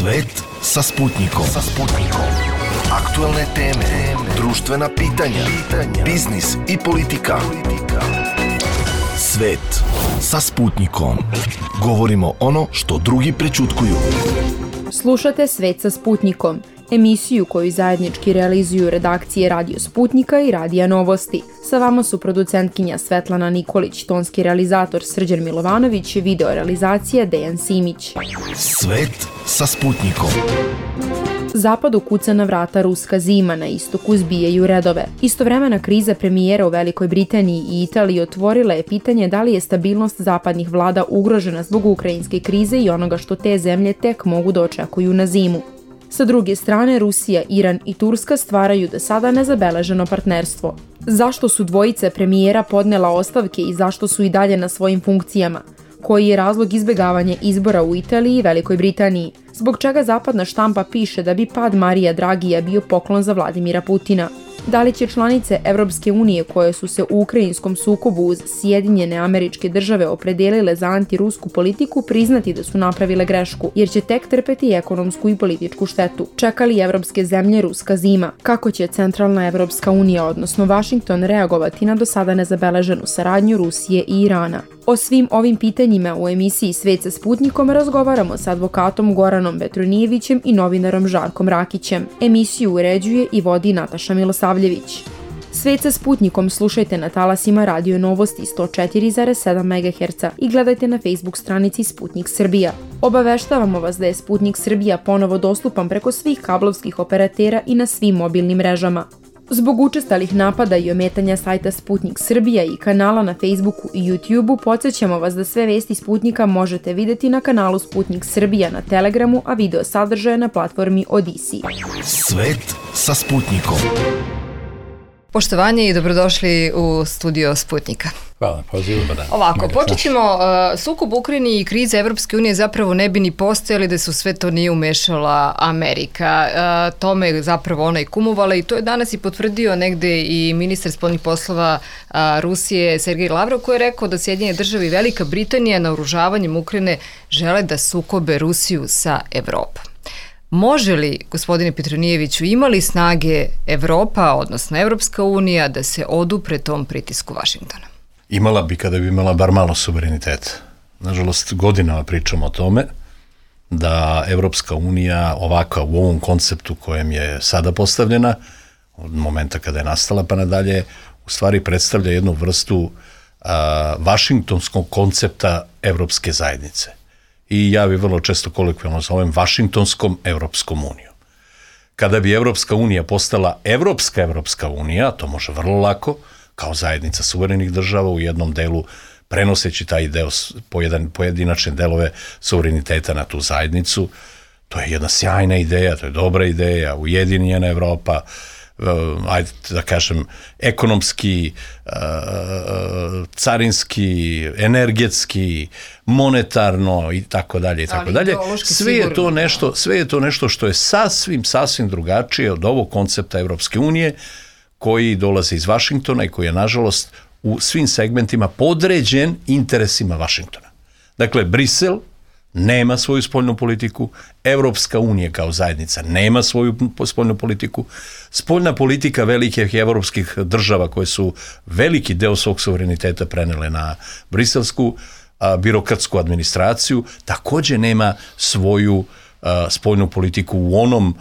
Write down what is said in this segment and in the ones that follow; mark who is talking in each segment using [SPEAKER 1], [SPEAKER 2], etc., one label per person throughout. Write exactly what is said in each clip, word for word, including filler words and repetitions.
[SPEAKER 1] Svet sa Sputnikom. Sa Sputnikom. Aktuelne teme, društvena pitanja, biznis i politika. Svet sa Sputnikom. Govorimo ono što drugi prećutkuju.
[SPEAKER 2] Slušate Svet sa Sputnikom, emisiju koju zajednički realizuju redakcije Radio Sputnika i Radija Novosti. Sa vama su producentkinja Svetlana Nikolić, tonski realizator Srđan Milovanović i video realizacija Dejan Simić.
[SPEAKER 1] Svet sa Sputnikom.
[SPEAKER 2] Zapadu kuca na vrata ruska zima, na istoku zbijaju redove. Istovremena kriza premijera u Velikoj Britaniji i Italiji otvorila je pitanje da li je stabilnost zapadnih vlada ugrožena zbog ukrajinske krize i onoga što te zemlje tek mogu da očekuju na zimu. Sa druge strane, Rusija, Iran i Turska stvaraju do sada nezabeleženo partnerstvo. Zašto su dvojice premijera podnela ostavke i zašto su i dalje na svojim funkcijama? Koji je razlog izbjegavanja izbora u Italiji i Velikoj Britaniji? Zbog čega zapadna štampa piše da bi pad Marija Dragija bio poklon za Vladimira Putina? Da li će članice Evropske unije koje su se u ukrajinskom sukobu uz Sjedinjene Američke Države opredelile za antirusku politiku priznati da su napravile grešku, jer će tek trpeti ekonomsku i političku štetu? Čeka li evropske zemlje ruska zima? Kako će Centralna Evropska unija, odnosno Vašington, reagovati na do sada nezabeleženu saradnju Rusije i Irana? O svim ovim pitanjima u emisiji Svet sa Sputnikom razgovaramo sa advokatom Goranom Petronijevićem i novinarom Žarkom Rakićem. Emisiju uređuje i vodi Nataša Milosavljević. Svet sa Sputnikom slušajte na talasima Radio Novosti sto četiri zarez sedam megaherca i gledajte na Facebook stranici Sputnik Srbija. Obaveštavamo vas da je Sputnik Srbija ponovo dostupan preko svih kablovskih operatera i na svim mobilnim mrežama. Zbog učestalih napada i ometanja sajta Sputnik Srbija i kanala na Facebooku i YouTubeu, podsjećamo vas da sve vesti Sputnika možete vidjeti na kanalu Sputnik Srbija na Telegramu, a video sadržaje na platformi Odisi.
[SPEAKER 1] Svet sa Sputnikom.
[SPEAKER 3] Poštovanje i dobrodošli u studio Sputnika.
[SPEAKER 4] Hvala, pozivu.
[SPEAKER 3] Ovako, počet ćemo, uh, sukob u Ukrajini i krize Evropske unije zapravo ne bi ni postojali da su sve to nije umešala Amerika. Uh, tome je zapravo ona i kumovala i to je danas i potvrdio negde i ministar spoljnih poslova uh, Rusije Sergej Lavrov, koji je rekao da Sjedinjene države i Velika Britanija naoružavanjem Ukrajine žele da sukobe Rusiju sa Evropom. Može li, gospodine Petronijeviću, imali snage Evropa, odnosno Evropska unija, da se odupre tom pritisku Vašingtona?
[SPEAKER 4] Imala bi kada bi imala bar malo suvereniteta. Nažalost, godinama pričamo o tome da Evropska unija ovakva u ovom konceptu kojem je sada postavljena, od momenta kada je nastala pa nadalje, u stvari predstavlja jednu vrstu a, vašingtonskog koncepta Evropske zajednice. I ja bi vrlo često kolokvijalno zovem Vašingtonskom Evropskom unijom. Kada bi Evropska unija postala Evropska Evropska unija, to može vrlo lako, kao zajednica suverenih država u jednom delu, prenoseći taj deo, pojedan, pojedinačne delove suvereniteta na tu zajednicu, to je jedna sjajna ideja, to je dobra ideja, ujedinjena Evropa, ajde da kažem, ekonomski, carinski, energetski, monetarno i tako dalje i tako dalje. Sve je to nešto, sve je to nešto što je sasvim, sasvim drugačije od ovog koncepta Evropske unije koji dolazi iz Vašingtona i koji je, nažalost, u svim segmentima podređen interesima Vašingtona. Dakle, Brisel nema svoju spoljnu politiku, Evropska unija kao zajednica nema svoju spoljnu politiku, spoljna politika velikih evropskih država koje su veliki deo svog suvereniteta prenele na briselsku a, birokratsku administraciju, također nema svoju a, spoljnu politiku u onom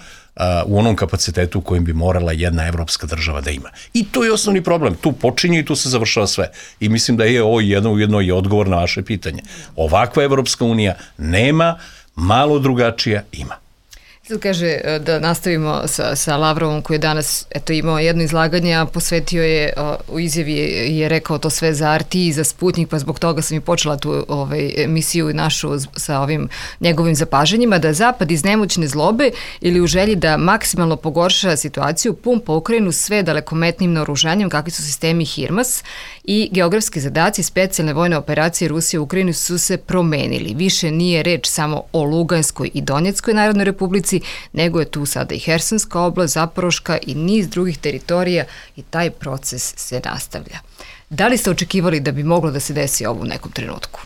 [SPEAKER 4] u onom kapacitetu u kojem bi morala jedna evropska država da ima. I to je osnovni problem. Tu počinje i tu se završava sve. I mislim da je ovo jedno ujedno i odgovor na vaše pitanje. Ovakva Evropska unija nema, malo drugačija ima.
[SPEAKER 3] Sad kaže da nastavimo sa, sa Lavrovom koji je danas eto, imao jedno izlaganje, a posvetio je, u izjavi je, je rekao to sve za R T i za Sputnik, pa zbog toga sam i počela tu ovaj, emisiju našu sa ovim njegovim zapažanjima, da Zapad iz nemoćne zlobe ili u želji da maksimalno pogorša situaciju pumpa Ukrajinu sve dalekometnim naoružanjem kakvi su sistemi HIMARS i geografski zadaci specijalne vojne operacije Rusije u Ukrajini su se promenili. Više nije reč samo o Luganskoj i Donjeckoj Narodnoj Republici, nego je tu sada i Hersonska oblast, Zaporoška i niz drugih teritorija i taj proces se nastavlja. Da li ste očekivali da bi moglo da se desi ovo u nekom trenutku?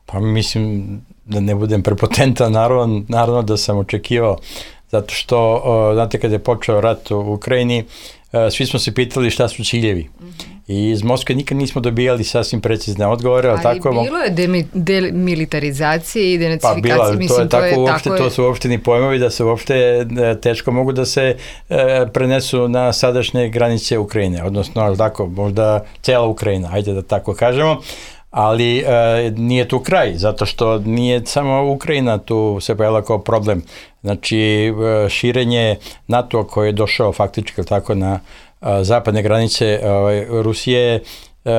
[SPEAKER 4] Pa mislim,
[SPEAKER 5] da ne budem prepotentan, naravno, naravno da sam očekivao, zato što, znate, kada je počeo rat u Ukrajini, svi smo se pitali šta su ciljevi. Mm-hmm. I iz Moskve nikad nismo dobijali sasvim precizne odgovore. Ali tako,
[SPEAKER 3] bilo je demi, demilitarizacije i denacifikacije.
[SPEAKER 5] Pa bila,
[SPEAKER 3] mislim,
[SPEAKER 5] to je, tako,
[SPEAKER 3] to, je,
[SPEAKER 5] uopšte,
[SPEAKER 3] tako
[SPEAKER 5] to su uopšteni pojmovi da se uopšte teško mogu da se e, prenesu na sadašnje granice Ukrajine, odnosno tako, možda cela Ukrajina, ajde da tako kažemo. Ali e, nije tu kraj, zato što nije samo Ukrajina tu se pojavila kao problem. Znači, e, širenje NATO koje je došao faktički tako na e, zapadne granice e, Rusije e,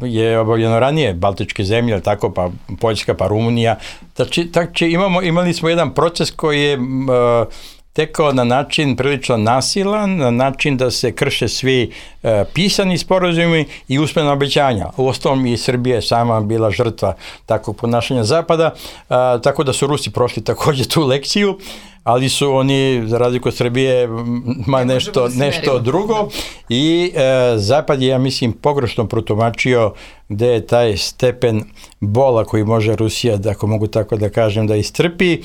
[SPEAKER 5] je obavljeno ranije, Baltičke zemlje, tako, pa Poljska, pa Rumunija. Znači, znači imamo, imali smo jedan proces koji je e, tekao na način prilično nasilan, na način da se krše svi e, pisani sporazumi i usmena obećanja. U ostalom i Srbija je sama bila žrtva takvog ponašanja Zapada, a, tako da su Rusi prošli također tu lekciju, ali su oni, za razliku od Srbije, ma nešto, nešto drugo. I e, Zapad je, ja mislim, pogrešno protumačio gde je taj stepen bola koji može Rusija, da, ako mogu tako da kažem, da istrpi.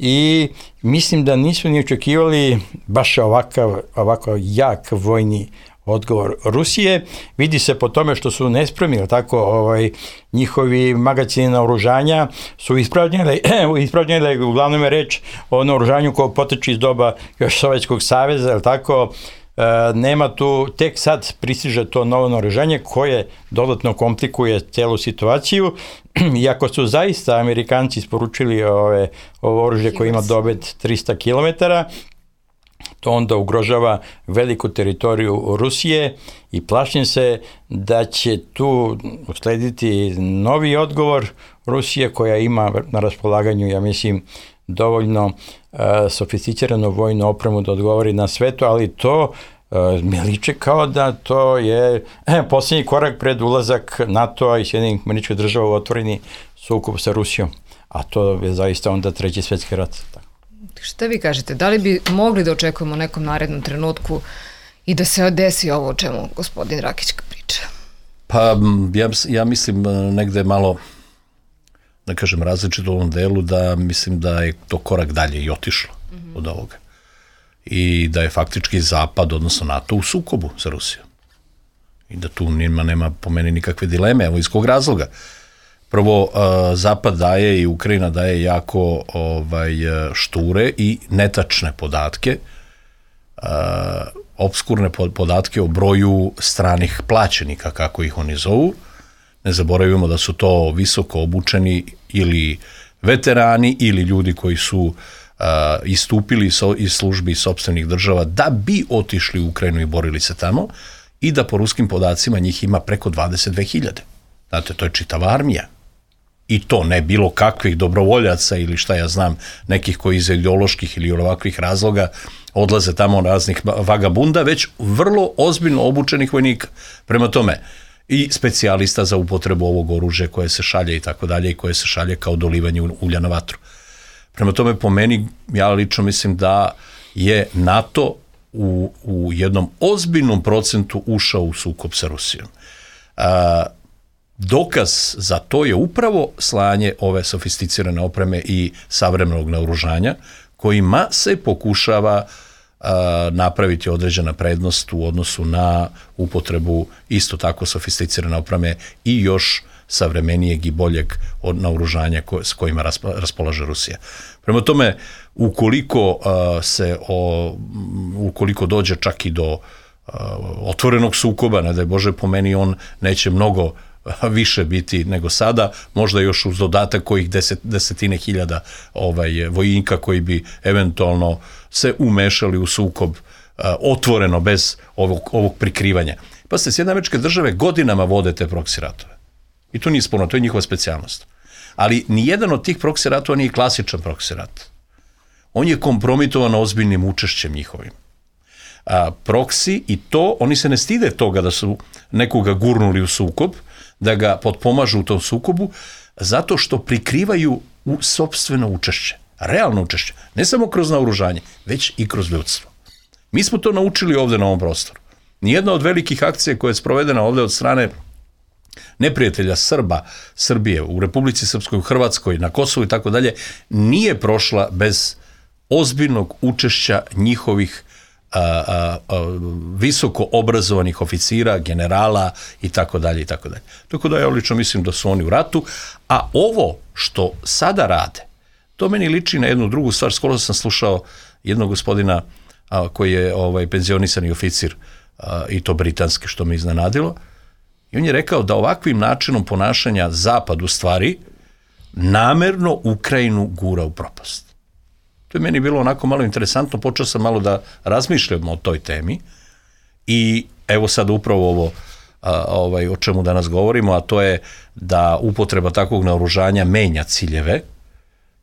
[SPEAKER 5] I mislim da nisu ni očekivali baš ovakav, ovako jak vojni odgovor Rusije. Vidi se po tome što su nespremni, tako, ovaj, njihovi magacini naoružanja su ispravljeni, ispravljeni, uglavnom je reč o naoružanju koje poteče iz doba još Sovjetskog saveza, ali tako, e, nema tu, tek sad pristiže to novo naoružanje koje dodatno komplikuje celu situaciju. Iako su zaista Amerikanci isporučili ove, ovo oružje koje ima dobet trista kilometara, to onda ugrožava veliku teritoriju Rusije i plašim se da će tu uslediti novi odgovor Rusije koja ima na raspolaganju, ja mislim, dovoljno uh, sofisticiranu vojnu opremu da odgovori na sve to, ali to uh, mi liče kao da to je eh, posljednji korak pred ulazak NATO-a i Sjedinjenih Američkih Država u otvoreni sukob sa Rusijom, a to je zaista onda treći svjetski rat.
[SPEAKER 3] Šta vi kažete, da li bi mogli da očekujemo u nekom narednom trenutku i da se desi ovo o čemu gospodin Rakić priča?
[SPEAKER 4] Pa ja, ja mislim negde malo, da kažem, različito u ovom delu, da mislim da je to korak dalje i otišlo mm-hmm. od ovoga. I da je faktički Zapad, odnosno NATO, u sukobu sa Rusijom. I da tu nema, nema po meni nikakve dileme, evo iz kog razloga. Prvo, uh, Zapad daje i Ukrajina daje jako ovaj, šture i netačne podatke, uh, obskurne podatke o broju stranih plaćenika, kako ih oni zovu. Ne zaboravimo da su to visoko obučeni ili veterani ili ljudi koji su uh, istupili so, iz službi sopstvenih država da bi otišli u Ukrajinu i borili se tamo i da po ruskim podacima njih ima preko dvadeset dve hiljade. Znate, to je čitava armija. I to ne bilo kakvih dobrovoljaca ili šta ja znam, nekih koji iz ideoloških ili ovakvih razloga odlaze tamo raznih vagabunda, već vrlo ozbiljno obučenih vojnika. Prema tome, i specijalista za upotrebu ovog oružja koje se šalje i tako dalje i koje se šalje kao dolivanje ulja na vatru. Prema tome, po meni, ja lično mislim da je NATO u, u jednom ozbiljnom procentu ušao u sukob sa Rusijom. A, dokaz za to je upravo slanje ove sofisticirane opreme i savremenog naoružanja, kojima se pokušava a, napraviti određena prednost u odnosu na upotrebu isto tako sofisticirane opreme i još savremenijeg i boljeg od naoružanja ko, s kojima raspa, raspolaže Rusija. Prema tome, ukoliko uh, se o, ukoliko dođe čak i do uh, otvorenog sukoba, ne daj Bože, po meni on neće mnogo uh, više biti nego sada, možda još uz dodatak kojih deset, desetine hiljada ovaj, vojnika koji bi eventualno se umešali u sukob uh, otvoreno bez ovog, ovog prikrivanja. Pa ste, Sjedinjene Američke Države godinama vode te proksi ratove. I to nije sporno, to je njihova specijalnost. Ali nijedan od tih proksi ratova nije klasičan proksi rat. On je kompromitovan ozbiljnim učešćem njihovim. A, proksi i to, oni se ne stide toga da su nekoga gurnuli u sukob, da ga potpomažu u tom sukobu, zato što prikrivaju u sopstveno učešće, realno učešće, ne samo kroz naoružanje, već i kroz ljudstvo. Mi smo to naučili ovde na ovom prostoru. Nijedna od velikih akcija koja je sprovedena ovde od strane neprijatelja Srba, Srbije u Republici Srpskoj, u Hrvatskoj, na Kosovu i tako dalje, nije prošla bez ozbiljnog učešća njihovih a, a, a, visoko obrazovanih oficira, generala i tako dalje i tako dalje. Tako da ja lično mislim da su oni u ratu, a ovo što sada rade, to meni liči na jednu drugu stvar. Skoro sam slušao jednog gospodina a, koji je ovaj, penzionisani oficir a, i to britanski, što me iznenadilo, i on je rekao da ovakvim načinom ponašanja Zapad u stvari namerno Ukrajinu gura u propast. To je meni bilo onako malo interesantno, počeo sam malo da razmišljam o toj temi i evo sad upravo ovo a, ovaj, o čemu danas govorimo, a to je da upotreba takvog naoružanja menja ciljeve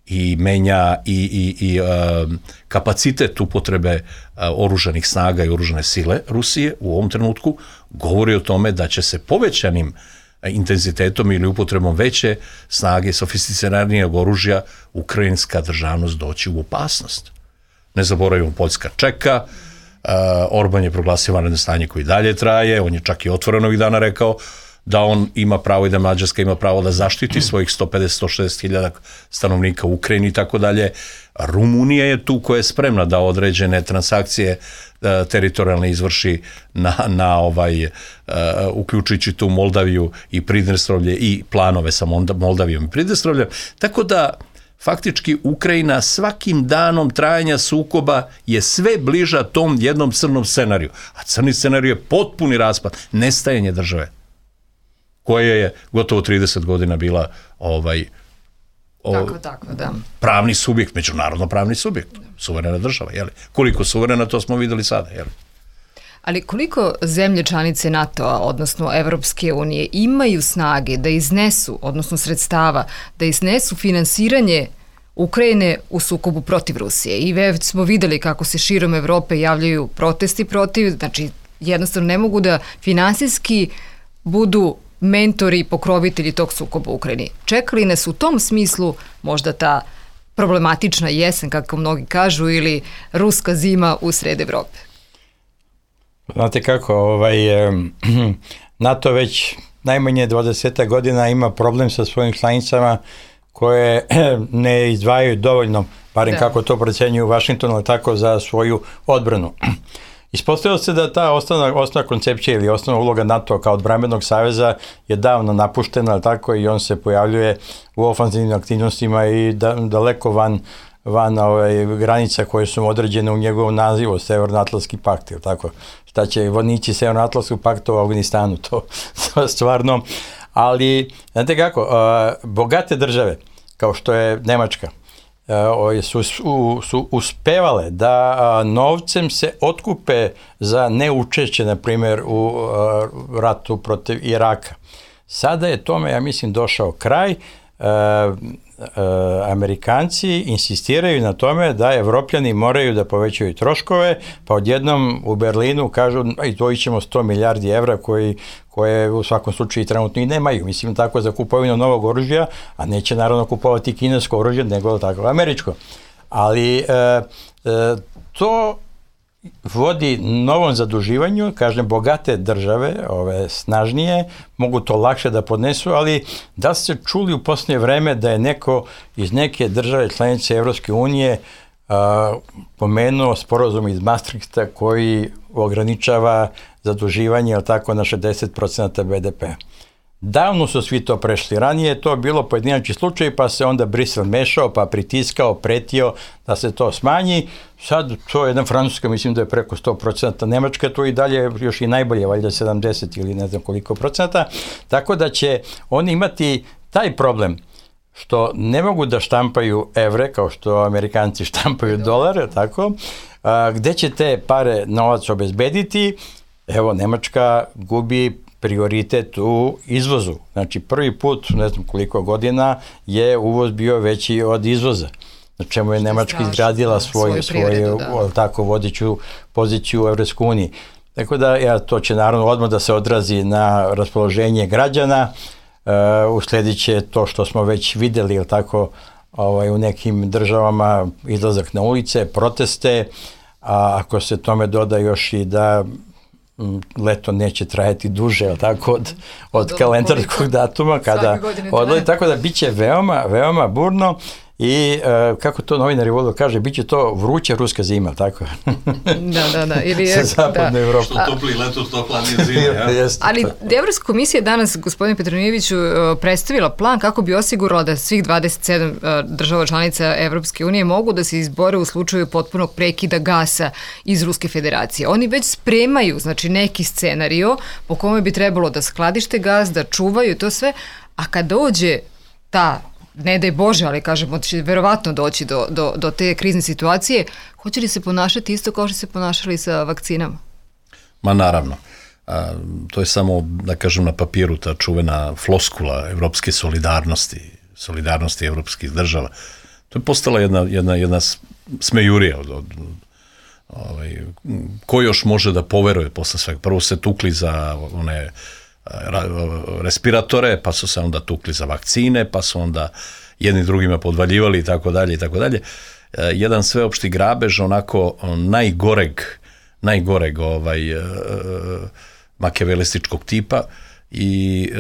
[SPEAKER 4] i menja i, i, i a, kapacitet upotrebe a, oružanih snaga i oružane sile Rusije u ovom trenutku, govori o tome da će se povećanim intenzitetom ili upotrebom veće snage, sofisticiranijeg oružja, ukrajinska državnost doći u opasnost. Ne zaboravimo, Poljska čeka, uh, Orban je proglasio vanredno stanje koji dalje traje, on je čak i otvoreno ovih dana rekao da on ima pravo i da Mađarska ima pravo da zaštiti svojih sto pedeset do sto šezdeset hiljada stanovnika u Ukrajini i tako dalje. Rumunija je tu koja je spremna da određene transakcije uh, teritorijalne izvrši na, na ovaj, uh, uključujući tu Moldaviju i Pridnestrovlje i planove sa Moldavijom i Pridnestrovljem. Tako da faktički Ukrajina svakim danom trajanja sukoba je sve bliža tom jednom crnom scenariju. A crni scenarij je potpuni raspad, nestajanje države, koja je gotovo trideset godina bila ovaj, o,
[SPEAKER 3] tako, tako, da.
[SPEAKER 4] pravni subjekt, međunarodno pravni subjekt, suverena država. Jeli? Koliko suverena, to smo videli sada. Jeli?
[SPEAKER 3] Ali koliko zemlje članice NATO-a, odnosno Evropske unije, imaju snage da iznesu, odnosno sredstava, da iznesu finansiranje Ukrajine u sukobu protiv Rusije? I već smo videli kako se širom Evrope javljaju protesti protiv, znači jednostavno ne mogu da finansijski budu mentori i pokrovitelji tog sukoba u Ukrajini. Čekali nas u tom smislu možda ta problematična jesen, kako mnogi kažu, ili ruska zima u sred Evrope?
[SPEAKER 5] Znate kako, ovaj, NATO već najmanje dvadeset godina ima problem sa svojim članicama koje ne izdvajaju dovoljno, barem da. Kako to procenjuju u Vašingtonu, ali tako za svoju odbranu. Ispostavilo se da ta osnovna, osnovna koncepcija ili osnovna uloga NATO kao odbrambenog saveza je davno napuštena, ali tako, i on se pojavljuje u ofanzivnim aktivnostima i da, daleko van, van ovaj, granica koje su određene u njegovom nazivu, Severnoatlantski pakt, ili tako. Šta će vojnici Severnoatlantskog pakta u Afganistanu, to, to stvarno. Ali, znate kako, uh, bogate države, kao što je Nemačka, Uh, su, su, su uspevale da uh, novcem se otkupe za neučešće, na primjer, u uh, ratu protiv Iraka. Sada je tome, ja mislim, došao kraj. Uh, uh, Amerikanci insistiraju na tome da Evropljani moraju da povećaju troškove, pa odjednom u Berlinu kažu izdvojit ćemo sto milijardi evra koji koje u svakom slučaju trenutno i nemaju. Mislim tako za kupovinu novog oružja, a neće naravno kupovati kinesko oružje, nego tako američko. Ali e, e, to vodi novom zaduživanju, kažem, bogate države, ove snažnije, mogu to lakše da podnesu, ali da ste čuli u posljednje vreme da je neko iz neke države članice Evropske unije a, pomenuo sporazum iz Maastrichta koji ograničava zaduživanje, ali tako, na šezdeset procenata be de pe. Davno su svi to prešli. Ranije je to bilo pojedinačni slučaj, pa se onda Brisel mešao, pa pritiskao, pretio da se to smanji. Sad to je jedna Francuska, mislim da je preko sto procenata, Nemačka to i dalje još i najbolje, valjda sedamdeset ili ne znam koliko procenata. Tako da će oni imati taj problem što ne mogu da štampaju evre, kao što Amerikanci štampaju dolare, tako, a, gde će te pare, novac obezbediti. Evo, Nemačka gubi prioritet u izvozu. Znači, prvi put, ne znam koliko godina, je uvoz bio veći od izvoza. Na čemu je Nemačka izgradila svoju, svoju tako, vodeću poziciju u Evropskoj uniji. Tako da, ja, to će naravno odmah da se odrazi na raspoloženje građana. Uh, usledit će to što smo već videli, ili tako, ovaj, u nekim državama izlazak na ulice, proteste, a ako se tome doda još i da leto neće trajati duže, tako, od, od kalendarskog datuma, kada odlazi, tako da bit će veoma, veoma burno. I uh, kako to novinari vole kaže, bit će to vruća ruska zima, tako?
[SPEAKER 3] Da, da, da. Ili je,
[SPEAKER 5] zapadne Evrope.
[SPEAKER 4] Što topli leto, što hladnije zime. Ja?
[SPEAKER 3] Ali Evropska komisija danas, gospodine Petronijeviću, predstavila plan kako bi osigurala da svih dvadeset sedam država članica Evropske unije mogu da se izbore u slučaju potpunog prekida gasa iz Ruske federacije. Oni već spremaju, znači, neki scenario po kome bi trebalo da skladište gas, da čuvaju to sve, a kad dođe ta, ne daj Bože, ali kažemo, će verovatno doći do, do, do te krizne situacije, hoće li se ponašati isto kao što se ponašali sa vakcinama?
[SPEAKER 4] Ma naravno. A, to je samo, da kažem, na papiru ta čuvena floskula evropske solidarnosti, solidarnosti evropskih država. To je postala jedna, jedna, jedna smejurija od, od ovaj, ko još može da poveruje posle svega. Prvo se tukli za one respiratore, pa su se onda tukli za vakcine, pa su onda jedni drugima podvaljivali i tako dalje i tako dalje. Jedan sveopšti grabež onako najgoreg najgoreg ovaj makijavelističkog tipa i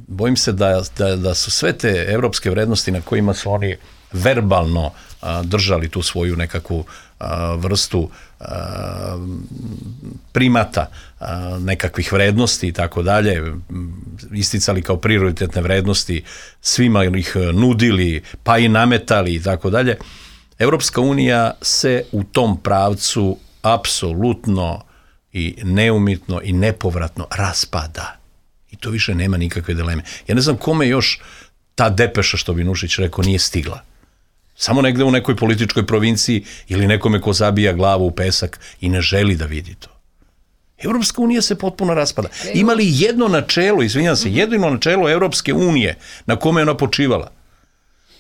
[SPEAKER 4] bojim se da, da, da su sve te evropske vrednosti na kojima su oni verbalno a, držali tu svoju nekakvu a, vrstu a, primata a, nekakvih vrednosti i tako dalje, isticali kao prioritetne vrednosti, svima ih nudili, pa i nametali i tako dalje. Evropska unija se u tom pravcu apsolutno i neumitno i nepovratno raspada. I to više nema nikakve dileme. Ja ne znam kome još ta depeša, što bi Nušić rekao, nije stigla. Samo negde u nekoj političkoj provinciji ili nekome ko zabija glavu u pesak i ne želi da vidi to. Evropska unija se potpuno raspada. Ima li jedno načelo, izvinjam se, jedino načelo Evropske unije na kome je ona počivala?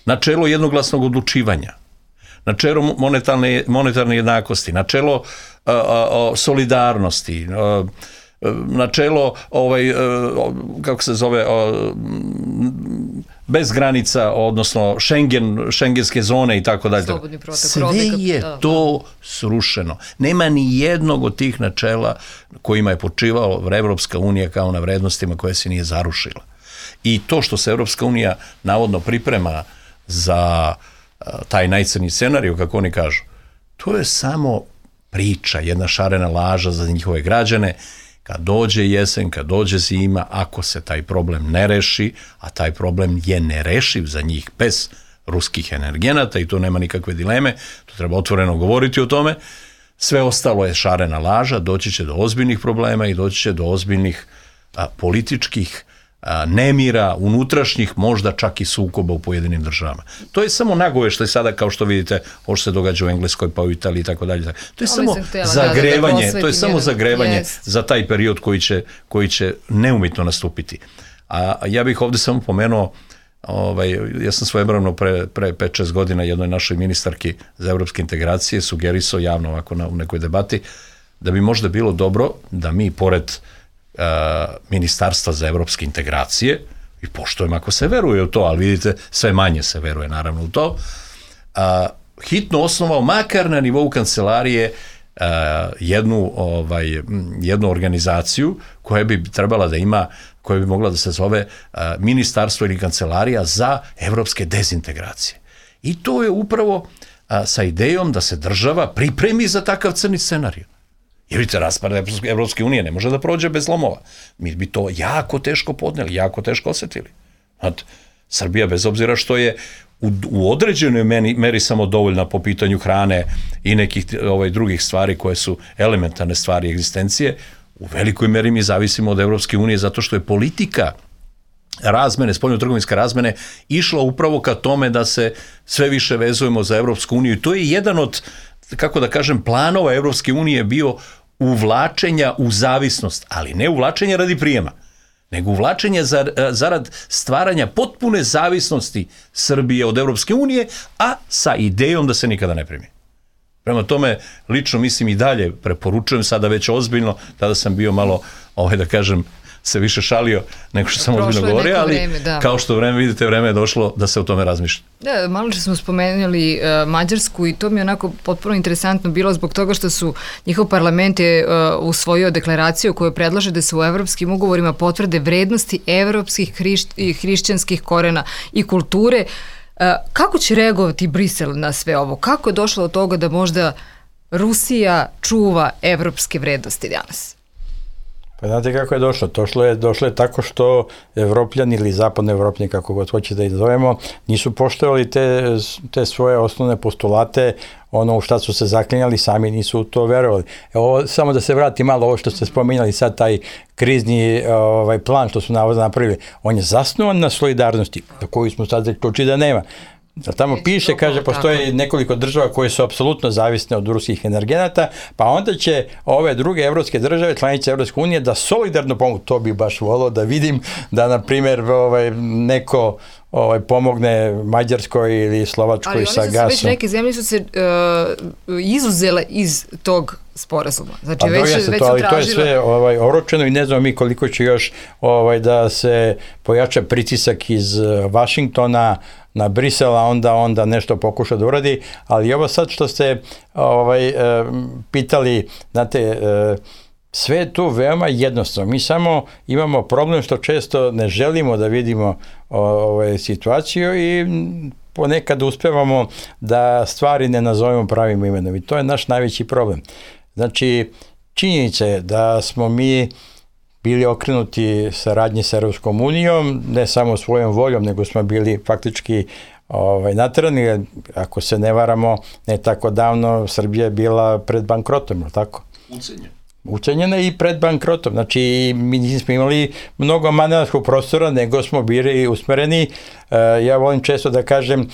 [SPEAKER 4] Načelo jednoglasnog odlučivanja, načelo monetarne, monetarne jednakosti, načelo a, a, solidarnosti, a, načelo ovaj, kako se zove, bez granica, odnosno Schengen, šengenske zone i tako dalje. Sve je to srušeno. Nema ni jednog od tih načela kojima je počivao Evropska unija kao na vrednostima koje se nije zarušila. I to što se Evropska unija navodno priprema za taj najcrnji scenarij, kako oni kažu, to je samo priča, jedna šarena laža za njihove građane. Kad dođe jesen, kad dođe zima, ako se taj problem ne reši, a taj problem je nerešiv za njih bez ruskih energenata i to nema nikakve dileme, to treba otvoreno govoriti o tome, sve ostalo je šarena laža, doći će do ozbiljnih problema i doći će do ozbiljnih a, političkih a, nemira, unutrašnjih, možda čak i sukoba u pojedinim državama. To je samo nagoveštaj sada, kao što vidite, ovo što se događa u Engleskoj, pa u Italiji i tako dalje. To je samo zagrevanje, to je samo zagrevanje za taj period koji će, koji će neumitno nastupiti. A ja bih ovde samo pomenuo, ovaj, ja sam svojevremeno pre, pre pet šest godina jednoj našoj ministarki za evropske integracije sugerisao javno ovako na, u nekoj debati da bi možda bilo dobro da mi pored Uh, Ministarstva za evropske integracije, i poštujem ako se veruje u to, ali vidite, sve manje se veruje naravno u to, uh, hitno osnovao makar na nivou kancelarije uh, jednu, ovaj, jednu organizaciju koja bi trebala da ima, koja bi mogla da se zove uh, Ministarstvo ili kancelarija za evropske dezintegracije. I to je upravo uh, sa idejom da se država pripremi za takav crni scenarij. Jer vidite, raspad Evropske unije ne može da prođe bez lomova. Mi bi to jako teško podneli, jako teško osetili. Znate, Srbija, bez obzira što je u, u određenoj meri, meri samo dovoljna po pitanju hrane i nekih ovaj, drugih stvari koje su elementarne stvari egzistencije, u velikoj meri mi zavisimo od Evropske unije zato što je politika razmene, spoljno-trgovinske razmene, išla upravo ka tome da se sve više vezujemo za Evropsku uniju. I to je jedan od, kako da kažem, planova Evropske unije bio uvlačenja u zavisnost, ali ne uvlačenja radi prijema, nego uvlačenja zarad stvaranja potpune zavisnosti Srbije od Evropske unije, a sa idejom da se nikada ne primi. Prema tome, lično mislim i dalje preporučujem, sada već ozbiljno, tada sam bio malo, ovaj, da kažem, se više šalio nego što sam ozbiljno govorio, ali vreme, da. Kao što vreme vidite, vreme je došlo da se o tome razmišlja.
[SPEAKER 3] Da, malo što smo spomenuli uh, Mađarsku i to mi je onako potpuno interesantno bilo zbog toga što su njihov parlament je uh, usvojio deklaraciju koju predlaže da se u evropskim ugovorima potvrde vrednosti evropskih hrišć- hrišćanskih korena i kulture. Uh, kako će reagovati Brisel na sve ovo? Kako je došlo do toga da možda Rusija čuva evropske vrednosti danas?
[SPEAKER 5] Pa znate kako je došlo? Došlo je, došlo je tako što Evropljani ili zapadno Evropljani, kako god hoće da ih zovemo, nisu poštovali te, te svoje osnovne postulate, ono u šta su se zaklinjali, sami nisu u to verovali. Evo, samo da se vrati malo ovo što ste spominjali sad, taj krizni ovaj, plan što su navodno napravili, on je zasnovan na solidarnosti, za koju smo sad zaključili da nema. Da tamo piše, kaže, postoje nekoliko država koje su apsolutno zavisne od ruskih energenata, pa onda će ove druge evropske države, članice Evropske unije, da solidarno pomogu. To bi baš volio da vidim, da, na primjer, ovaj, neko ovaj, pomogne Mađarskoj ili Slovačkoj sa gasom.
[SPEAKER 3] Ali oni su već neke zemlje su se uh, izuzele iz tog sporazuma. Znači,
[SPEAKER 5] pa
[SPEAKER 3] već,
[SPEAKER 5] se
[SPEAKER 3] već
[SPEAKER 5] to, ali
[SPEAKER 3] tražila...
[SPEAKER 5] to je sve ovaj, oročeno i ne znamo mi koliko će još ovaj, da se pojača pritisak iz Vašingtona na Brisela, onda onda nešto pokuša da uradi, ali ovo sad što ste ovaj, pitali, znate, sve je tu veoma jednostavno. Mi samo imamo problem što često ne želimo da vidimo ovaj, situaciju i ponekad uspevamo da stvari ne nazovemo pravim imenom i to je naš najveći problem. Znači, činjenica je da smo mi bili okrenuti saradnji sa Evropskom unijom, ne samo svojom voljom, nego smo bili faktički ovaj, naterani, ako se ne varamo, ne tako davno Srbija je bila pred bankrotom, je tako?
[SPEAKER 4] Ucenjena.
[SPEAKER 5] Ucenjena i pred bankrotom. Znači, mi nismo imali mnogo manevarskog prostora, nego smo bili usmereni. Ja volim često da kažem,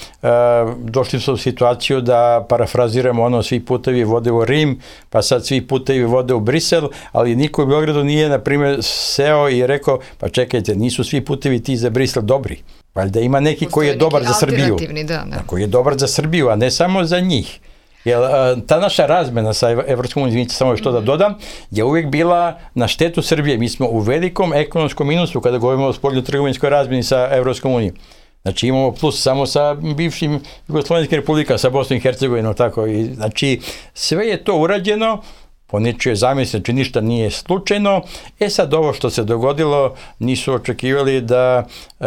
[SPEAKER 5] došli smo u situaciju da parafraziramo ono, svi putevi vode u Rim, pa sad svi putevi vode u Brisel, ali niko u Beogradu nije, na primjer, seo i rekao, pa čekajte, nisu svi putevi ti za Brisel dobri. Valjda ima neki koji je dobar za Srbiju.
[SPEAKER 3] Da, da.
[SPEAKER 5] Koji je dobar za Srbiju, a ne samo za njih. Jer ta naša razmena sa Evropskom unijom, samo što da dodam, je uvijek bila na štetu Srbije. Mi smo u velikom ekonomskom minusu kada govorimo o spoljno-trgovinskoj razmeni sa Evropskom unijom. Znači imamo plus samo sa bivšim Jugoslovenskim republikama, sa Bosnom i Hercegovinom, tako. I, znači sve je to urađeno, po nečijoj zamisli, znači ništa nije slučajno. E sad ovo što se dogodilo, nisu očekivali da, e,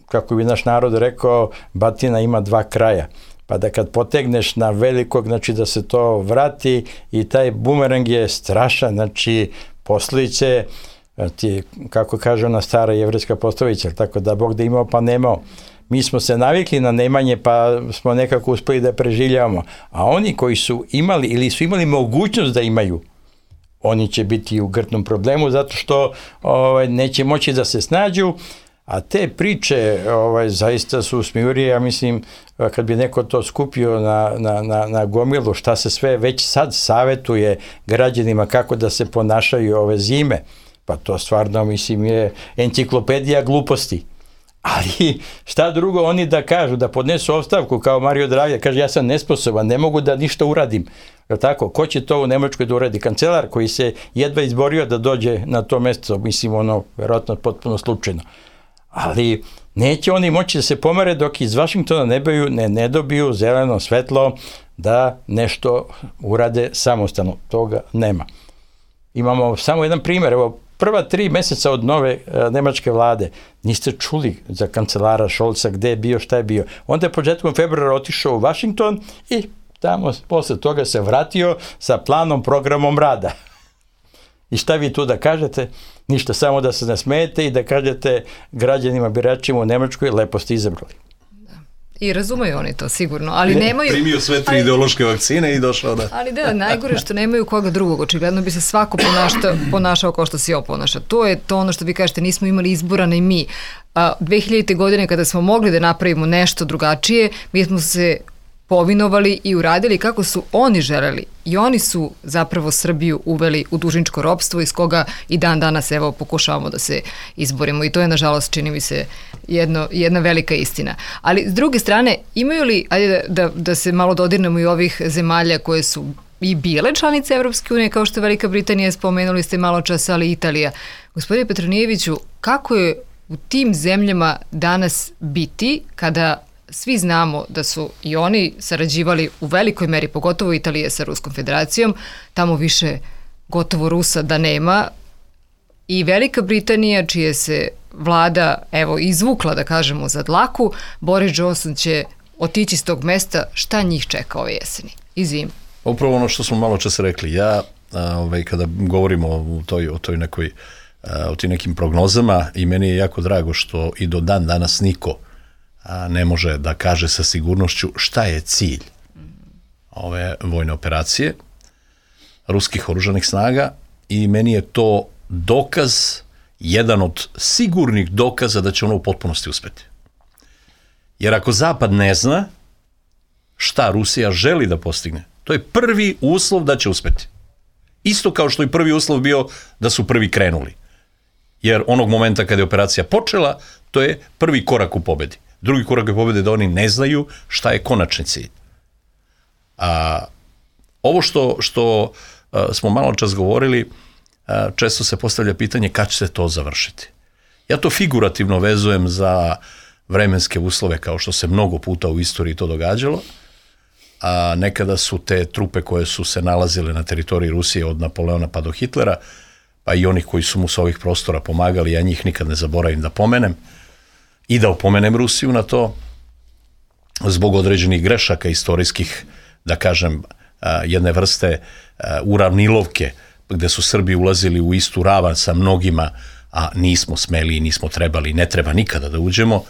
[SPEAKER 5] kako bi naš narod rekao, batina ima dva kraja. Pa da kad potegneš na velikog, znači da se to vrati i taj bumerang je strašan, znači posljedice, ti, kako kaže ona stara jevrejska poslovica, tako da Bog da imao pa nemao. Mi smo se navikli na nemanje pa smo nekako uspeli da preživljavamo, a oni koji su imali ili su imali mogućnost da imaju, oni će biti u grtnom problemu zato što ovaj, neće moći da se snađu. A te priče ovaj, zaista su smijurije, ja mislim, kad bi neko to skupio na, na, na, na gomilu, šta se sve već sad savetuje građanima kako da se ponašaju ove zime, pa to stvarno, mislim, je enciklopedija gluposti. Ali šta drugo oni da kažu, da podnesu ostavku kao Mario Draghi, kaže ja sam nesposoban, ne mogu da ništa uradim. Tako, ko će to u Nemačkoj da uradi? Kancelar koji se jedva izborio da dođe na to mjesto, mislim, ono, vjerojatno potpuno slučajno. Ali neće oni moći da se pomere dok iz Vašingtona ne, biju, ne, ne dobiju zeleno svetlo da nešto urade samostalno. Toga nema. Imamo samo jedan primjer. Evo, prva tri mjeseca od nove uh, nemačke vlade niste čuli za kancelara Scholza gde je bio, šta je bio. Onda je početkom februara otišao u Vašington i tamo posle toga se vratio sa planom, programom rada. I šta vi tu da kažete? Ništa, samo da se nasmejete i da kažete građanima, biračima u Nemačkoj, lepo ste izabrali.
[SPEAKER 3] Da. I razumeju oni to sigurno, ali ne, nemaju...
[SPEAKER 4] Primio sve tri ali, ideološke vakcine i došao da...
[SPEAKER 3] Ali da, najgore što nemaju koga drugog, očigledno bi se svako ponašta, ponašao kao što se ovo ponaša. To je to ono što vi kažete, nismo imali izbora ni mi. A, dve hiljadite. godine kada smo mogli da napravimo nešto drugačije, mi smo se povinovali i uradili kako su oni želeli. I oni su zapravo Srbiju uveli u dužničko ropstvo iz koga i dan danas evo pokušavamo da se izborimo i to je nažalost čini mi se jedno, jedna velika istina. Ali s druge strane imaju li, ajde da, da, da se malo dodirnemo i ovih zemalja koje su i bile članice Evropske unije, kao što je Velika Britanija, spomenuli ste malo čas, ali i Italija. Gospodine Petronijeviću, kako je u tim zemljama danas biti kada svi znamo da su i oni sarađivali u velikoj meri, pogotovo Italije sa Ruskom federacijom, tamo više gotovo Rusa da nema, i Velika Britanija, čije se vlada, evo, izvukla, da kažemo, za dlaku, Boris Johnson će otići s tog mesta, šta njih čeka ove jeseni i zime?
[SPEAKER 4] Upravo ono što smo malo čas rekli, ja ovaj, kada govorimo o toj, o toj nekoj, o tim nekim prognozama, i meni je jako drago što i do dan danas niko a, ne može da kaže sa sigurnošću šta je cilj ove vojne operacije ruskih oružanih snaga, i meni je to dokaz, jedan od sigurnih dokaza da će ono u potpunosti uspeti. Jer ako Zapad ne zna šta Rusija želi da postigne, to je prvi uslov da će uspeti. Isto kao što je prvi uslov bio da su prvi krenuli. Jer onog momenta kada je operacija počela, to je prvi korak u pobedi. Drugi korak u pobedi je da oni ne znaju šta je konačni cilj. A, ovo što, što a, smo malo čas govorili, a, često se postavlja pitanje kad će se to završiti. Ja to figurativno vezujem za vremenske uslove, kao što se mnogo puta u istoriji to događalo, a nekada su te trupe koje su se nalazile na teritoriji Rusije od Napoleona pa do Hitlera, pa i onih koji su mu s ovih prostora pomagali, ja njih nikad ne zaboravim da pomenem i da opomenem Rusiju na to, zbog određenih grešaka istorijskih, da kažem, jedne vrste uravnilovke, gde su Srbi ulazili u istu ravan sa mnogima, a nismo smeli i nismo trebali, ne treba nikada da uđemo,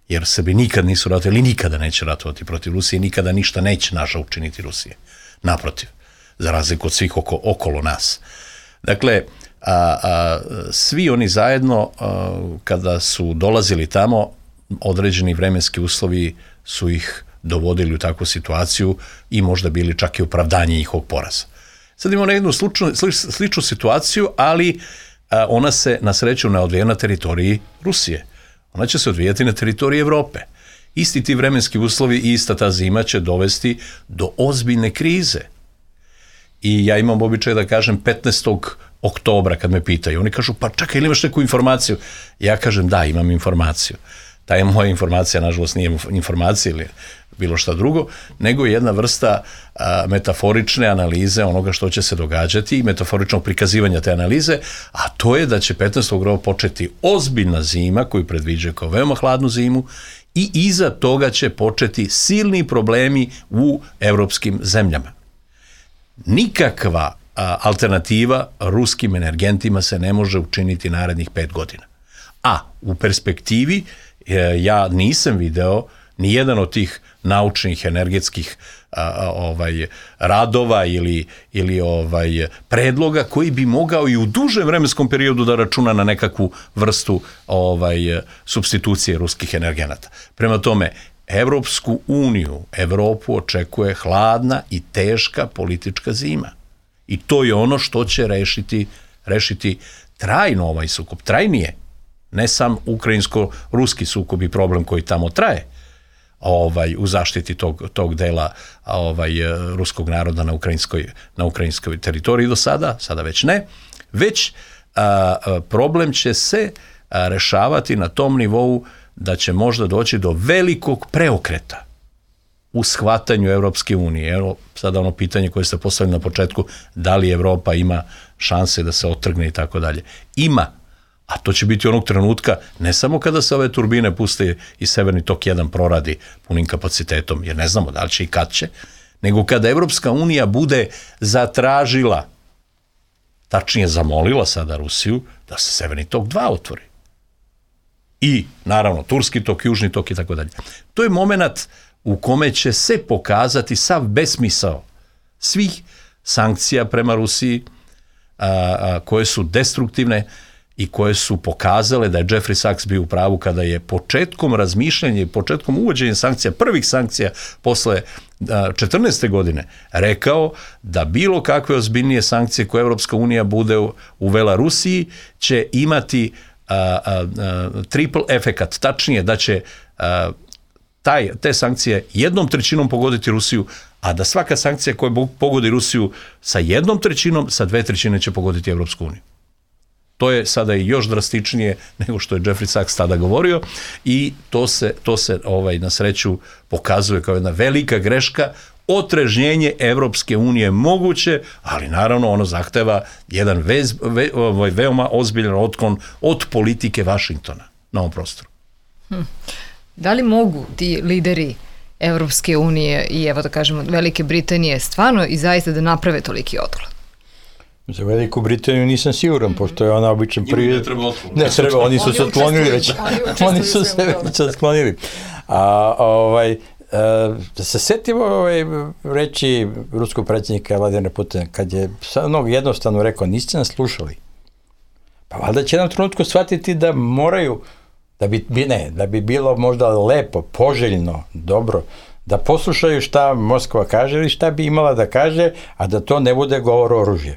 [SPEAKER 4] jer Srbi nikad nisu ratovali, nikada neće ratovati protiv Rusije, nikada ništa neće naža učiniti Rusije. Naprotiv, za razliku od svih oko, okolo nas. Dakle, a, a, svi oni zajedno, a, kada su dolazili tamo, određeni vremenski uslovi su ih dovodili u takvu situaciju i možda bili čak i opravdanje njihovog poraza. Sad imamo jednu sličnu, sličnu situaciju, ali a, ona se na sreću ne odvija na teritoriji Rusije. Ona će se odvijati na teritoriji Evrope. Isti ti vremenski uslovi i ista ta zima će dovesti do ozbiljne krize. I ja imam običaj da kažem petnaestog oktobra kad me pitaju, oni kažu, pa čekaj, ili imaš neku informaciju? Ja kažem, da, imam informaciju. Ta je moja informacija, nažalost, nije informacija ili bilo šta drugo, nego jedna vrsta a, metaforične analize onoga što će se događati i metaforičnog prikazivanja te analize, a to je da će petnaestog oktobra početi ozbiljna zima koju predviđaju kao veoma hladnu zimu i iza toga će početi silni problemi u evropskim zemljama. Nikakva a, alternativa ruskim energentima se ne može učiniti narednih pet godina. A u perspektivi e, ja nisam video ni jedan od tih naučnih energetskih a, a, ovaj radova ili ili ovaj predloga koji bi mogao i u dužem vremenskom periodu da računa na nekakvu vrstu ovaj supstitucije ruskih energenata. Prema tome, Evropsku uniju, Evropu očekuje hladna i teška politička zima. I to je ono što će rešiti rešiti trajno ovaj sukob, trajnije. Ne sam ukrajinsko-ruski sukob i problem koji tamo traje, ovaj u zaštiti tog tog dela ovaj ruskog naroda na ukrajinskoj na ukrajinskoj teritoriji do sada, sada već ne, već a, a, problem će se a, rešavati na tom nivou da će možda doći do velikog preokreta u shvatanju Evropske unije. Evo sada ono pitanje koje ste postavili na početku, da li Evropa ima šanse da se otrgne i tako dalje. Ima. A to će biti onog trenutka, ne samo kada se ove turbine puste i Severni tok jedan proradi punim kapacitetom, jer ne znamo da li će i kad će, nego kada Evropska unija bude zatražila, tačnije zamolila sada Rusiju, da se Severni tok dva otvori. I, naravno, Turski tok, Južni tok i tako dalje. To je moment u kome će se pokazati sav besmisao svih sankcija prema Rusiji, a, a, koje su destruktivne i koje su pokazale da je Jeffrey Sachs bio u pravu kada je početkom razmišljanja i početkom uvođenja sankcija, prvih sankcija posle četrnaeste godine, rekao da bilo kakve ozbiljnije sankcije koje Evropska unija bude uvela Rusiji će imati a, a, a, triple efekat, tačnije da će a, taj, te sankcije jednom trećinom pogoditi Rusiju, a da svaka sankcija koja pogodi Rusiju sa jednom trećinom, sa dve trećine će pogoditi Evropsku uniju. To je sada i još drastičnije nego što je Jeffrey Sachs tada govorio i to se, to se ovaj, na sreću pokazuje kao jedna velika greška. Otrežnjenje Evropske unije moguće, ali naravno ono zahteva jedan vez, ve, ovaj, veoma ozbiljan otklon od politike Vašingtona na ovom prostoru.
[SPEAKER 3] Hm. Da li mogu ti lideri Evropske unije i evo da kažemo Velike Britanije stvarno i zaista da naprave toliki otklon?
[SPEAKER 5] Za Veliku Britaniju nisam siguran, mm-hmm. pošto je ona obično prije...
[SPEAKER 4] Ne treba otklon.
[SPEAKER 5] Ne treba, oni su se otklonili već. Oni su se već otklonili. A ovaj... Da se setimo ovaj, reći ruskog predsjednika Vladimira Putina, kad je ono jednostavno rekao, niste nas slušali. Pa valjda će nam trenutku shvatiti da moraju, da bi, ne, da bi bilo možda lepo, poželjno, dobro, da poslušaju šta Moskva kaže ili šta bi imala da kaže, a da to ne bude govor o oružju.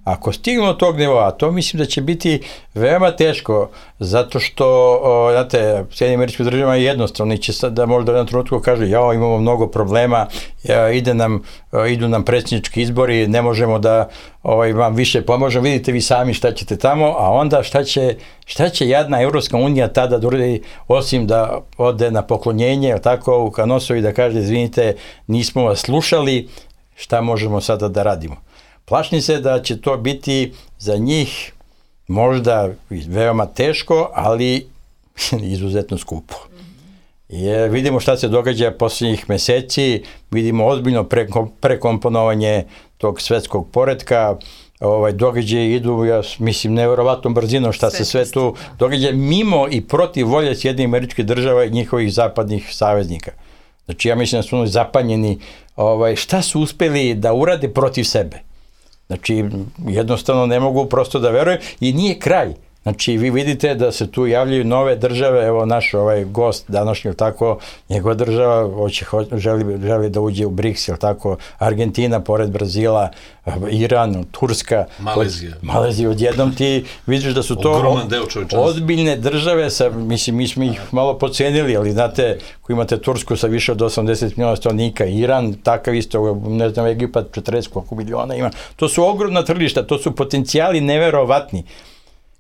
[SPEAKER 5] Ako stignu od tog nivoa, to mislim da će biti veoma teško, zato što, o, znate, Sjedinjenim Američkim Državama je jednostavno, će sad da možda na trenutku kažu, jao, imamo mnogo problema, ja, ide nam, o, idu nam predsjednički izbori, ne možemo da ovaj, vam više pomožemo, vidite vi sami šta ćete tamo, a onda šta će, šta će jadna Evropska unija tada da uradi, osim da ode na poklonjenje, tako, u Kanosovi da kaže, izvinite, nismo vas slušali, šta možemo sada da radimo. Plašim se da će to biti za njih možda veoma teško, ali izuzetno skupo. Jer vidimo šta se događa posljednjih meseci, vidimo ozbiljno prekomponovanje tog svetskog poretka, ovaj, događaje idu, ja mislim, nevjerovatnom brzinom šta se sve tu događa, mimo i protiv volje Sjedinjenih Američkih Država i njihovih zapadnih saveznika. Znači, ja mislim da su oni zapanjeni, ovaj, šta su uspeli da urade protiv sebe. Znači, jednostavno ne mogu prosto da verujem i nije kraj. Znači, vi vidite da se tu javljaju nove države, evo naš ovaj gost današnji, tako, njegova država hoće, želi, želi da uđe u BRICS, jel tako, Argentina, pored Brazila, Iran, Turska,
[SPEAKER 4] Malezija.
[SPEAKER 5] Malezija, odjednom ti vidiš da su to ozbiljne države, sa, mislim, mi smo ih malo podcenili, ali znate, ko imate Tursku sa više od osamdeset miliona stanovnika, Iran, takav isto, ne znam, Egipat, četrdeset koliko miliona ima, to su ogromna tržišta, to su potencijali neverovatni.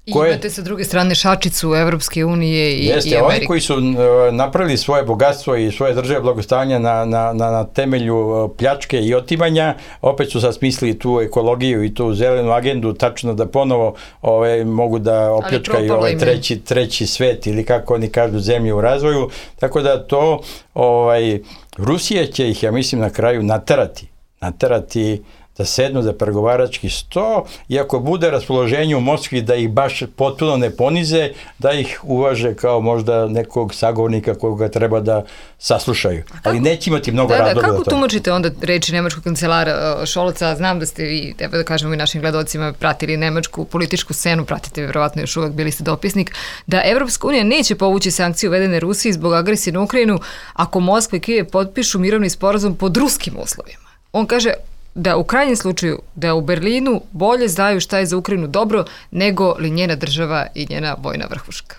[SPEAKER 3] I koje... imate sa druge strane šačicu Evropske unije i,
[SPEAKER 5] Jeste,
[SPEAKER 3] i Amerike.
[SPEAKER 5] Oni koji su uh, napravili svoje bogatstvo i svoje države blagostanja na, na, na, na temelju uh, pljačke i otimanja, opet su sad smislili tu ekologiju i tu zelenu agendu, tačno da ponovo ove, mogu da opljačkaju ovaj treći, treći svet ili kako oni kažu zemlju u razvoju. Tako da to, ovaj, Rusija će ih, ja mislim, na kraju naterati. Naterati da sednu za pregovarački sto i ako bude raspoloženje u Moskvi da ih baš potpuno ne ponize, da ih uvaže kao možda nekog sagovornika koga treba da saslušaju. Ali neće imati mnogo
[SPEAKER 3] da,
[SPEAKER 5] razloga.
[SPEAKER 3] Da, kako tumačite onda reči nemačkog kancelara Šolca? Znam da ste vi, evo da kažemo i našim gledalcima, pratili nemačku političku scenu, pratite vjerovatno još uvek, bili ste dopisnik, da Evropska unija neće povući sankcije uvedene Rusiji zbog agresije na Ukrajinu ako Moskva i Kijev potpišu mirovni sporazum pod ruskim uslovima. On kaže da u krajnjem slučaju da u Berlinu bolje znaju šta je za Ukrajinu dobro nego li njena država i njena vojna vrhuška.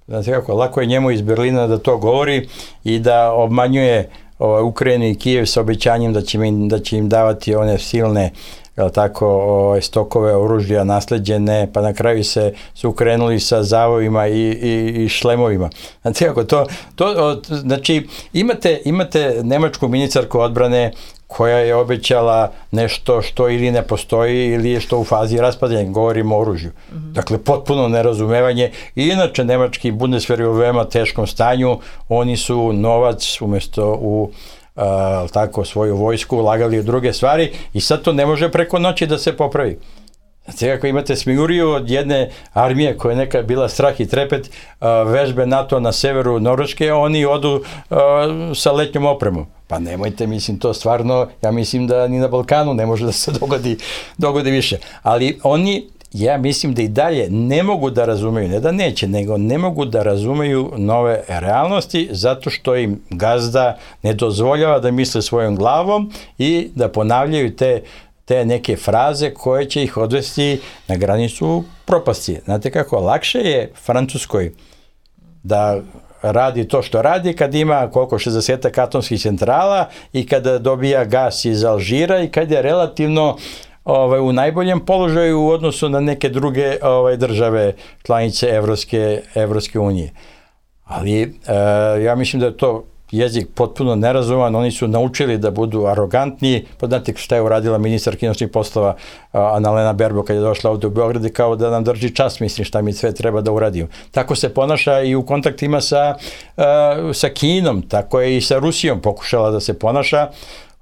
[SPEAKER 5] Znate kako, lako je njemu iz Berlina da to govori i da obmanjuje ovaj, Ukrajinu i Kijev sa obećanjem da će im, da će im davati one silne jel tako, ovaj, stokove oružja nasleđene, pa na kraju se su krenuli sa zavojima i, i, i šlemovima. Znate kako, to, to, znači, imate, imate nemačku ministarku odbrane koja je obećala nešto što ili ne postoji ili je što u fazi raspadanja, govorimo o oružju. Mm-hmm. Dakle, potpuno nerazumevanje. I inače, nemački Bundeswehr je u veoma teškom stanju, oni su novac umjesto u a, tako, svoju vojsku ulagali u druge stvari i sad to ne može preko noći da se popravi. Znači, ako imate smijuriju od jedne armije koja je nekad bila strah i trepet, a, vežbe NATO na severu Norveške, oni odu a, sa letnjom opremom. Pa nemojte, mislim, to stvarno, ja mislim da ni na Balkanu ne može da se dogodi, dogodi više. Ali oni, ja mislim da i dalje ne mogu da razumeju, ne da neće, nego ne mogu da razumeju nove realnosti zato što im gazda ne dozvoljava da misle svojom glavom i da ponavljaju te te neke fraze koje će ih odvesti na granicu propasti. Znate kako, lakše je Francuskoj da radi to što radi, kad ima koliko šezdeset atomskih centrala i kada dobija gas iz Alžira i kad je relativno ovaj, u najboljem položaju u odnosu na neke druge ovaj, države članice Evropske, Evropske unije. Ali e, ja mislim da je to jezik potpuno nerazuman, oni su naučili da budu arogantni, pa znate šta je uradila ministar inostranih poslova Annalena Baerbock kad je došla ovde u Beograd, kao da nam drži čas, mislim šta mi sve treba da uradimo. Tako se ponaša i u kontaktima sa, sa Kinom, tako je i sa Rusijom pokušala da se ponaša.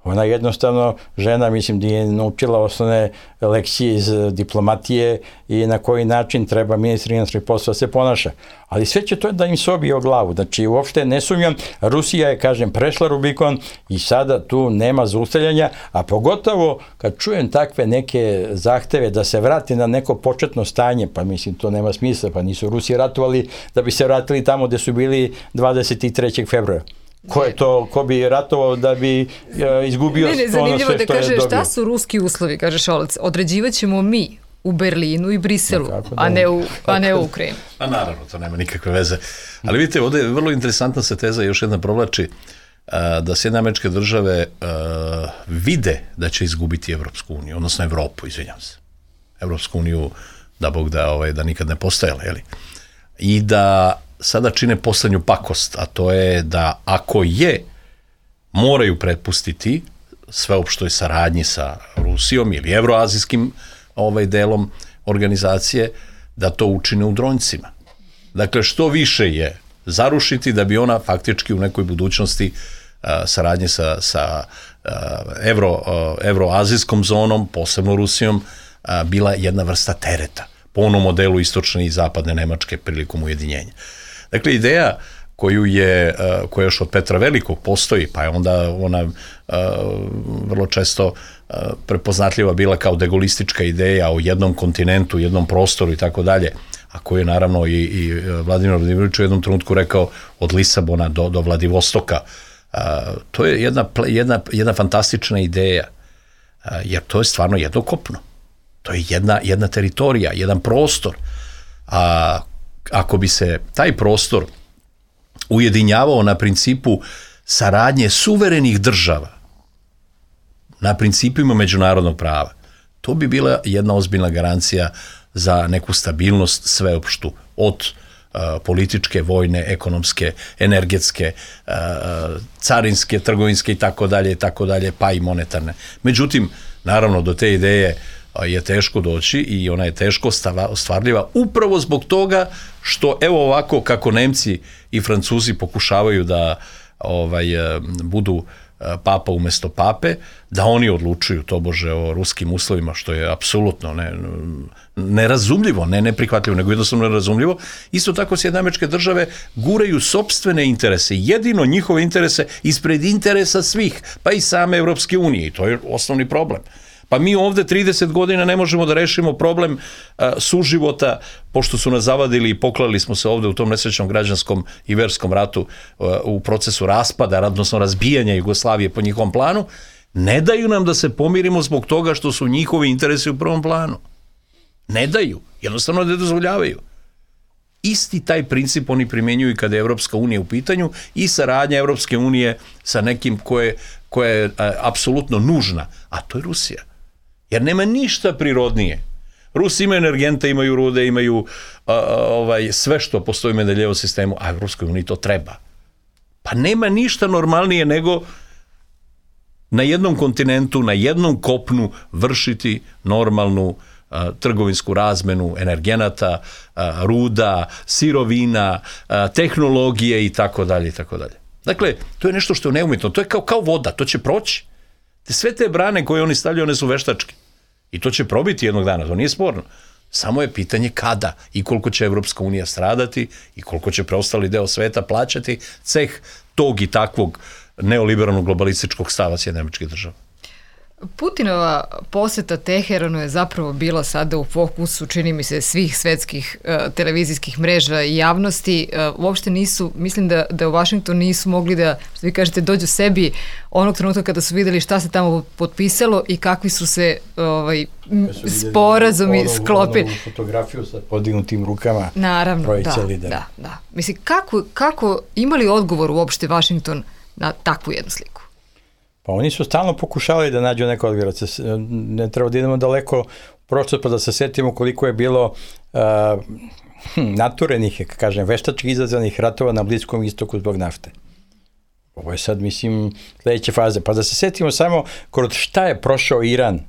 [SPEAKER 5] Ona jednostavno, žena, mislim, da je naučila osnovne lekcije iz diplomatije i na koji način treba ministar inostranih poslova se ponaša. Ali sve će to da im se obije o glavu. Znači, uopšte ne sumnjam, Rusija je, kažem, prešla Rubikon i sada tu nema zaustavljanja, a pogotovo kad čujem takve neke zahteve da se vrati na neko početno stanje, pa mislim, to nema smisla, pa nisu Rusi ratovali da bi se vratili tamo gde su bili dvadeset trećeg februara. Ko je to, ko bi ratovao da bi uh, izgubio
[SPEAKER 3] ne, ne,
[SPEAKER 5] ono sve što
[SPEAKER 3] da
[SPEAKER 5] je dobio?
[SPEAKER 3] kaže, šta su ruski uslovi, kaže Šolac, određivat ćemo mi u Berlinu i Briselu, no, a ne u, a ne u Ukrajinu.
[SPEAKER 4] A naravno, to nema nikakve veze. Ali vidite, ovdje je vrlo interesantna se teza, još jedna provlači, uh, da Sjedinjene Američke Države uh, vide da će izgubiti Evropsku uniju, odnosno Evropu, izvinjam se. Evropsku uniju, da Bog da, ovaj, da nikad ne postojala, jeli? I da sada čine poslednju pakost, a to je da ako je, moraju pretpustiti sveopštoj saradnji sa Rusijom ili evroazijskim ovaj delom organizacije, da to učine u dronjcima. Dakle, što više je zarušiti da bi ona faktički u nekoj budućnosti a, saradnje sa, sa a, evro, a, evroazijskom zonom, posebno Rusijom, a, bila jedna vrsta tereta po onom modelu istočne i zapadne Nemačke prilikom ujedinjenja. Dakle, ideja koju je, koja još od Petra Velikog postoji, pa je onda ona vrlo često prepoznatljiva bila kao degolistička ideja o jednom kontinentu, jednom prostoru i tako dalje, a koju je naravno i, i Vladimir Vladimirović u jednom trenutku rekao od Lisabona do, do Vladivostoka. To je jedna, jedna, jedna fantastična ideja, jer to je stvarno jedno kopno. To je jedna, jedna teritorija, jedan prostor. A ako bi se taj prostor ujedinjavao na principu saradnje suverenih država, na principima međunarodnog prava, to bi bila jedna ozbiljna garancija za neku stabilnost sveopštu, od uh, političke, vojne, ekonomske, energetske, uh, carinske, trgovinske i tako dalje, tako dalje, pa i monetarne. Međutim, naravno, do te ideje je teško doći i ona je teško ostvarljiva upravo zbog toga što evo ovako kako Nemci i Francuzi pokušavaju da ovaj, budu papa umesto pape, da oni odlučuju tobože o ruskim uslovima, što je apsolutno ne, nerazumljivo, ne neprihvatljivo, nego jednostavno nerazumljivo. Isto tako Sjedinjene Američke Države guraju sopstvene interese, jedino njihove interese ispred interesa svih, pa i same Evropske unije, i to je osnovni problem. Pa mi ovde trideset godina ne možemo da rešimo problem a, suživota, pošto su nas zavadili i poklali smo se ovde u tom nesrećnom građanskom i verskom ratu a, u procesu raspada, odnosno razbijanja Jugoslavije po njihovom planu, ne daju nam da se pomirimo zbog toga što su njihovi interesi u prvom planu. Ne daju, jednostavno ne dozvoljavaju. Isti taj princip oni primjenjuju kada je Evropska unija u pitanju i saradnja Evropske unije sa nekim koje, koje je a, apsolutno nužna, a to je Rusija. Jer nema ništa prirodnije. Rusi imaju energente, imaju rude, imaju a, ovaj, sve što postoji u Mendeljevom sistemu, a Evropskoj uniji to treba. Pa nema ništa normalnije nego na jednom kontinentu, na jednom kopnu vršiti normalnu a, trgovinsku razmenu energenata, a, ruda, sirovina, a, tehnologije i tako dalje i tako dalje. Dakle, to je nešto što je neumitno, to je kao, kao voda, to će proći. Te sve te brane koje oni stavljaju, one su veštačke. I to će probiti jednog dana, to nije sporno. Samo je pitanje kada i koliko će Evropska unija stradati i koliko će preostali deo sveta plaćati ceh tog i takvog neoliberalnog globalističkog stava Sjedinjenih Američkih Država.
[SPEAKER 3] Putinova poseta Teheranu je zapravo bila sada u fokusu, čini mi se, svih svetskih uh, televizijskih mreža i javnosti. Uh, uopšte nisu, mislim da, da u Washingtonu nisu mogli da, što vi kažete, dođu sebi onog trenutka kada su videli šta se tamo potpisalo i kakvi su se ovaj, sporazumi sklopili.
[SPEAKER 5] Onu fotografiju sa podignutim rukama.
[SPEAKER 3] Naravno, da, da, da. Mislim, kako, kako imali odgovor uopšte Washington na takvu jednu sliku?
[SPEAKER 5] Pa oni su stalno pokušali da nađu neko odgovor. Ne treba da idemo daleko u prošlost pa da se setimo koliko je bilo uh, naturenih, kažem, veštački izazvanih ratova na Bliskom istoku zbog nafte. Ovo je sad, mislim, sledeće faze. Pa da se setimo samo kroz šta je prošao Iran,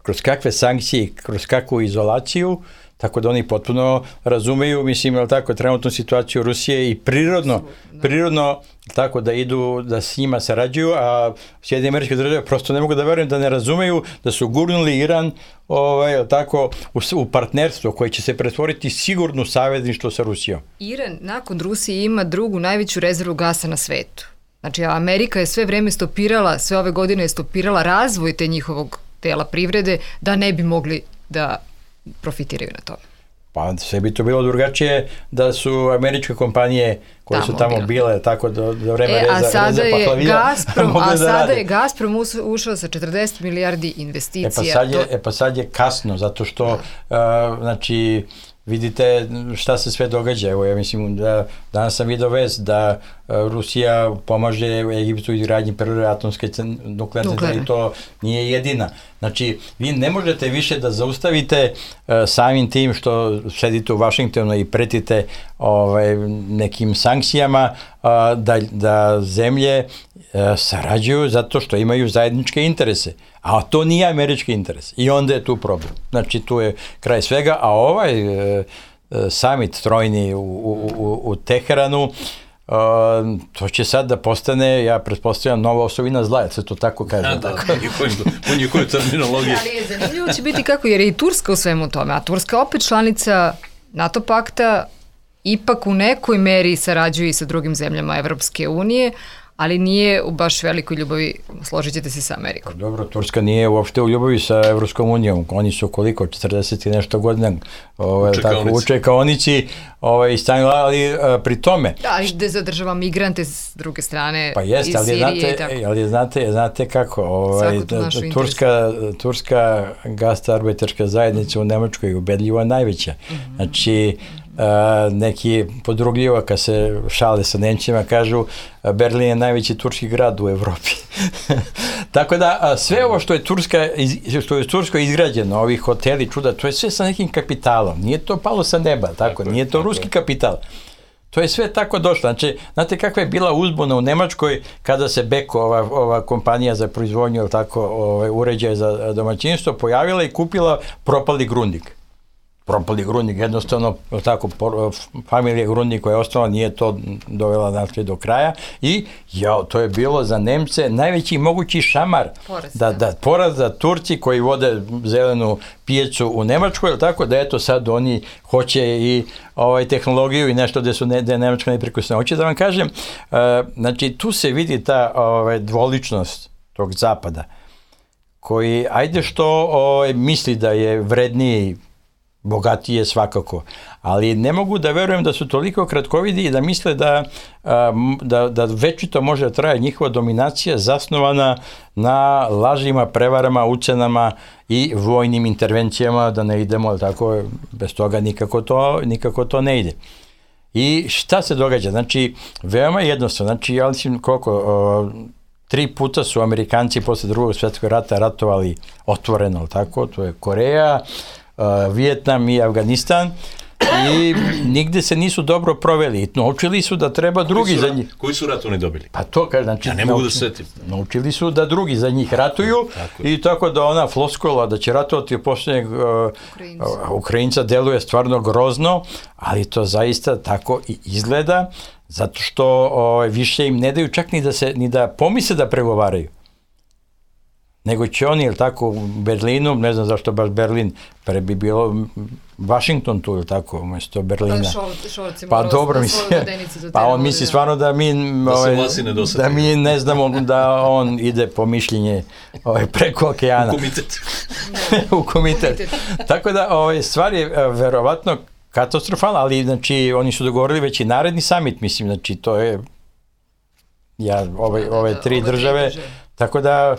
[SPEAKER 5] kroz kakve sankcije, kroz kakvu izolaciju, tako da oni potpuno razumeju, mislim, je li tako, trenutnu situaciju Rusije i prirodno, prirodno tako da idu, da s njima sarađuju, a Sjedinjene Američke Države prosto ne mogu da verujem da ne razumeju da su gurnuli Iran ovaj, je li tako, u, u partnerstvo koje će se pretvoriti sigurno savezništvo sa Rusijom.
[SPEAKER 3] Iran nakon Rusije ima drugu najveću rezervu gasa na svetu. Znači, Amerika je sve vreme stopirala, sve ove godine je stopirala razvoj te njihovog tela privrede da ne bi mogli da profitiraju na tome.
[SPEAKER 5] Pa sve bi to bilo drugačije da su američke kompanije koje tamo su tamo bile, bile tako do, do vreme
[SPEAKER 3] e,
[SPEAKER 5] reza,
[SPEAKER 3] a sada
[SPEAKER 5] reza
[SPEAKER 3] je
[SPEAKER 5] paklavija.
[SPEAKER 3] Gazprom, a da sada rade. je Gazprom ušao sa četrdeset milijardi investicija.
[SPEAKER 5] E pa sad je, to... e pa sad je kasno, zato što uh, znači vidite šta se sve događa. Evo, ja mislim da danas sam vidio vest da uh, Rusija pomaže Egiptu izgradnji prve atomske nuklearne centrale i to nije jedina. Znači, vi ne možete više da zaustavite uh, samim tim što sedite u Vašingtonu i pretite ovaj, nekim sankcijama uh, da, da zemlje uh, sarađuju zato što imaju zajedničke interese. A to nije američki interes. I onda je tu problem. Znači, tu je kraj svega, a ovaj e, summit trojni u, u, u, u Teheranu, e, to će sad da postane, ja pretpostavljam, nova osovina zla, jer se to tako kaže.
[SPEAKER 4] Da, da, u njihovoj terminologiji.
[SPEAKER 3] Ali je zanimljivo će biti kako, jer je i Turska u svemu tome, a Turska opet članica NATO pakta, ipak u nekoj meri sarađuje i sa drugim zemljama Evropske unije, ali nije u baš velikoj ljubavi, složit ćete se sa Amerikom.
[SPEAKER 5] Dobro, Turska nije uopšte u ljubavi sa Evropskom unijom. Oni su koliko, četrdeset i nešto godina ovaj, u čekaonici ovaj, stanjila, ali a, pri tome...
[SPEAKER 3] Da, ali gde zadržava migrante s druge strane
[SPEAKER 5] pa jest,
[SPEAKER 3] iz
[SPEAKER 5] ali
[SPEAKER 3] Sirije
[SPEAKER 5] znate,
[SPEAKER 3] i tako.
[SPEAKER 5] Ali znate, znate kako, ovaj, Turska, Turska gastarbeterska zajednica u Nemačkoj je ubedljivo najveća. Mm-hmm. Znači, Uh, neki podrugljivo kad se šale sa Nemcima kažu Berlin je najveći turski grad u Evropi. Tako da sve ovo što je Turska što je Tursko izgrađeno, ovi hoteli, čuda, to je sve sa nekim kapitalom. Nije to palo sa neba, tako, tako nije to tako ruski je. Kapital. To je sve tako došlo. Znači, znate kakva je bila uzbuna u Nemačkoj kada se Beko, ova, ova kompanija za proizvodnju, tako, ovaj, uređaje za domaćinstvo, pojavila i kupila propali Grundig. Propali Grundig, jednostavno, tako, familija Grundig koja je ostala nije to dovela znači, do kraja i ja, to je bilo za Nemce najveći mogući šamar. Poraz, da, da, poraz za Turci koji vode zelenu pijecu u Nemačkoj, tako da eto sad oni hoće i ovaj, tehnologiju i nešto gde su ne, gde je Nemačka neprekusna. Hoće da vam kažem, uh, znači tu se vidi ta ovaj, dvoličnost tog zapada koji, ajde što ovaj, misli da je vredniji bogatije svakako, ali ne mogu da verujem da su toliko kratkovidi i da misle da, da, da večito može da traje njihova dominacija zasnovana na lažima, prevarama, ucenama i vojnim intervencijama, da ne idemo, tako, bez toga nikako to, nikako to ne ide. I šta se događa? Znači, veoma jednostavno, znači, ja mislim koliko, o, tri puta su Amerikanci posle drugog svjetskog rata ratovali otvoreno, tako, to je Koreja, Uh, Vijetnam i Afganistan i nigde se nisu dobro proveli. Naučili su da treba drugi za njih.
[SPEAKER 4] Koji su rat oni dobili?
[SPEAKER 5] Pa to, kaže, znači...
[SPEAKER 4] Ja ne mogu da setim.
[SPEAKER 5] Naučili su da drugi za njih ratuju tako i tako da ona floskola da će ratovati u posljednjeg uh, uh, Ukrajinca deluje stvarno grozno, ali to zaista tako i izgleda, zato što uh, više im ne daju čak ni da, se, ni da pomisle da pregovaraju. nego će oni, ili tako, u Berlinu, ne znam zašto baš Berlin, pre bi bilo Washington tu, ili tako, umjesto Berlina. Pa dobro, misli, pa on misli stvarno da mi,
[SPEAKER 4] da,
[SPEAKER 5] ovaj,
[SPEAKER 4] da
[SPEAKER 5] mi ne znamo da on ide po mišljenje ovaj, preko okeana.
[SPEAKER 4] U komitet.
[SPEAKER 5] U komitet. Tako da, ovaj, stvar je verovatno katastrofalna, ali znači, oni su dogovorili već i naredni summit, mislim, znači, to je ja, ove, ove tri države, tako da,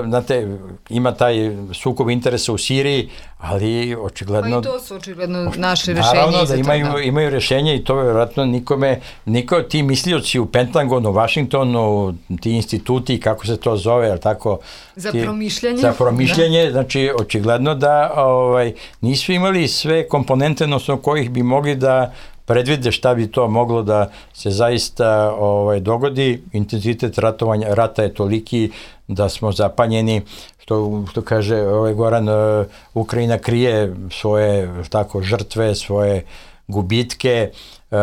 [SPEAKER 5] znate, ima taj sukob interesa u Siriji, ali očigledno...
[SPEAKER 3] Pa i to su očigledno naše rešenje.
[SPEAKER 5] Naravno da imaju, imaju rešenje i to vjerojatno nikome, niko ti mislioci u Pentagonu, Washingtonu, ti instituti, kako se to zove, ali tako...
[SPEAKER 3] Za
[SPEAKER 5] ti,
[SPEAKER 3] promišljanje.
[SPEAKER 5] Za promišljanje, da. Znači očigledno da ovaj, nisu imali sve komponente, odnosno kojih bi mogli da predvide šta bi to moglo da se zaista ovaj, dogodi. Intenzitet ratovanja, rata je toliki da smo zapanjeni, što, što kaže ovaj Goran, uh, Ukrajina krije svoje tako, žrtve, svoje gubitke. Uh,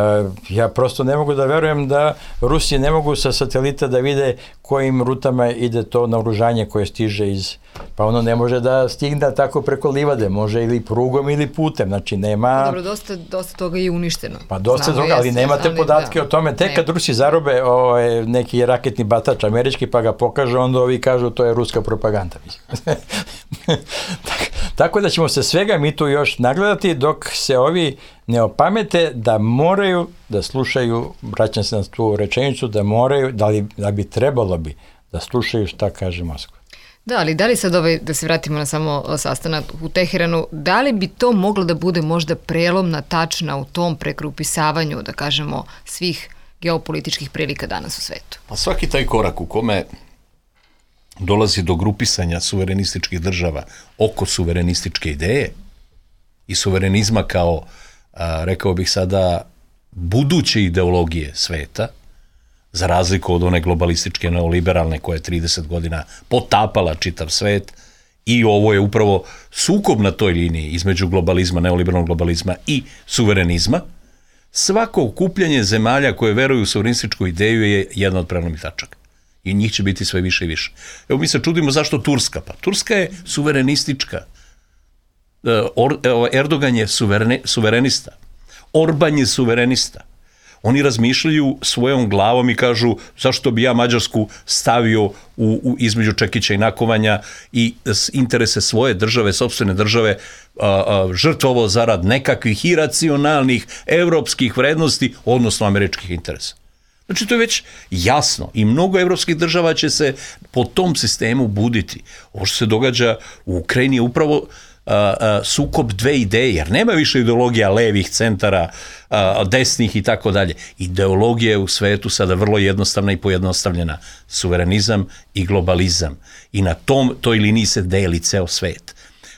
[SPEAKER 5] ja prosto ne mogu da verujem da Rusi ne mogu sa satelita da vide kojim rutama ide to naoružanje koje stiže iz... Pa ono ne može da stigne tako preko livade, može ili prugom ili putem, znači nema...
[SPEAKER 3] Dobro, dosta, dosta toga je uništeno.
[SPEAKER 5] Pa dosta Znamo, toga, ali jesne, nemate ali, podatke da, o tome. Tek kad Rusi zarobe ovaj, neki raketni batač američki pa ga pokažu, onda ovi kažu to je ruska propaganda. Tako da ćemo se svega mi tu još nagledati dok se ovi ne opamete da moraju da slušaju, vraćam se na tu rečenicu, da moraju, da, li, da bi trebalo bi da slušaju šta kaže Moskva.
[SPEAKER 3] Da, ali da li sad ovaj, da se vratimo na samo sastanak u Teheranu, da li bi to moglo da bude možda prelomna tačna u tom pregrupisavanju, da kažemo, svih geopolitičkih prilika danas u svetu?
[SPEAKER 4] Pa svaki taj korak u kome dolazi do grupisanja suverenističkih država oko suverenističke ideje i suverenizma kao, a, rekao bih sada, buduće ideologije sveta, za razliku od one globalističke neoliberalne koja je trideset godina potapala čitav svet, i ovo je upravo sukob na toj liniji između globalizma, neoliberalnog globalizma i suverenizma. Svako okupljanje zemalja koje veruju u suverenističku ideju je jedna od prelomnih tačaka. I njih će biti sve više i više. Evo mi se čudimo zašto Turska. Pa Turska je suverenistička. Erdogan je suvereni, suverenista. Orban je suverenista. Oni razmišljaju svojom glavom i kažu zašto bi ja Mađarsku stavio u, u između čekića i nakovanja i interese svoje države, sopstvene države, a, a, žrtvovo zarad nekakvih iracionalnih evropskih vrednosti, odnosno američkih interesa. Znači to je već jasno i mnogo evropskih država će se po tom sistemu buditi. Ovo što se događa u Ukrajini je upravo a, a, sukob dve ideje, jer nema više ideologija levih centara, a, desnih i tako dalje. Ideologija je u svetu sada vrlo jednostavna i pojednostavljena. Suverenizam i globalizam. I na tom, toj liniji se deli ceo svet.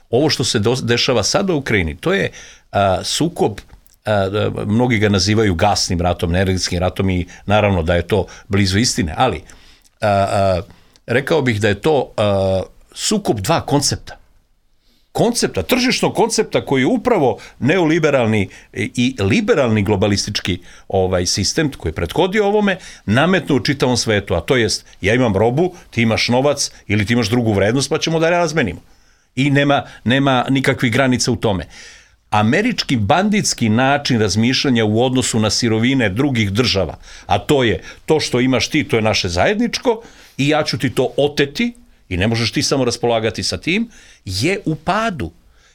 [SPEAKER 4] Ovo što se do, dešava sada u Ukrajini, to je a, sukob. Uh, mnogi ga nazivaju gasnim ratom, energetskim ratom i naravno da je to blizu istine, ali uh, uh, rekao bih da je to uh, sukob dva koncepta. Koncepta, tržišnog koncepta koji je upravo neoliberalni i liberalni globalistički ovaj sistem koji je prethodio ovome nametnuo u čitavom svetu, a to jest ja imam robu, ti imaš novac ili ti imaš drugu vrednost pa ćemo da razmenimo. I nema, nema nikakvih granica u tome. Američki banditski način razmišljanja u odnosu na sirovine drugih država, a to je to što imaš ti, to je naše zajedničko i ja ću ti to oteti i ne možeš ti samo raspolagati sa tim, je u padu.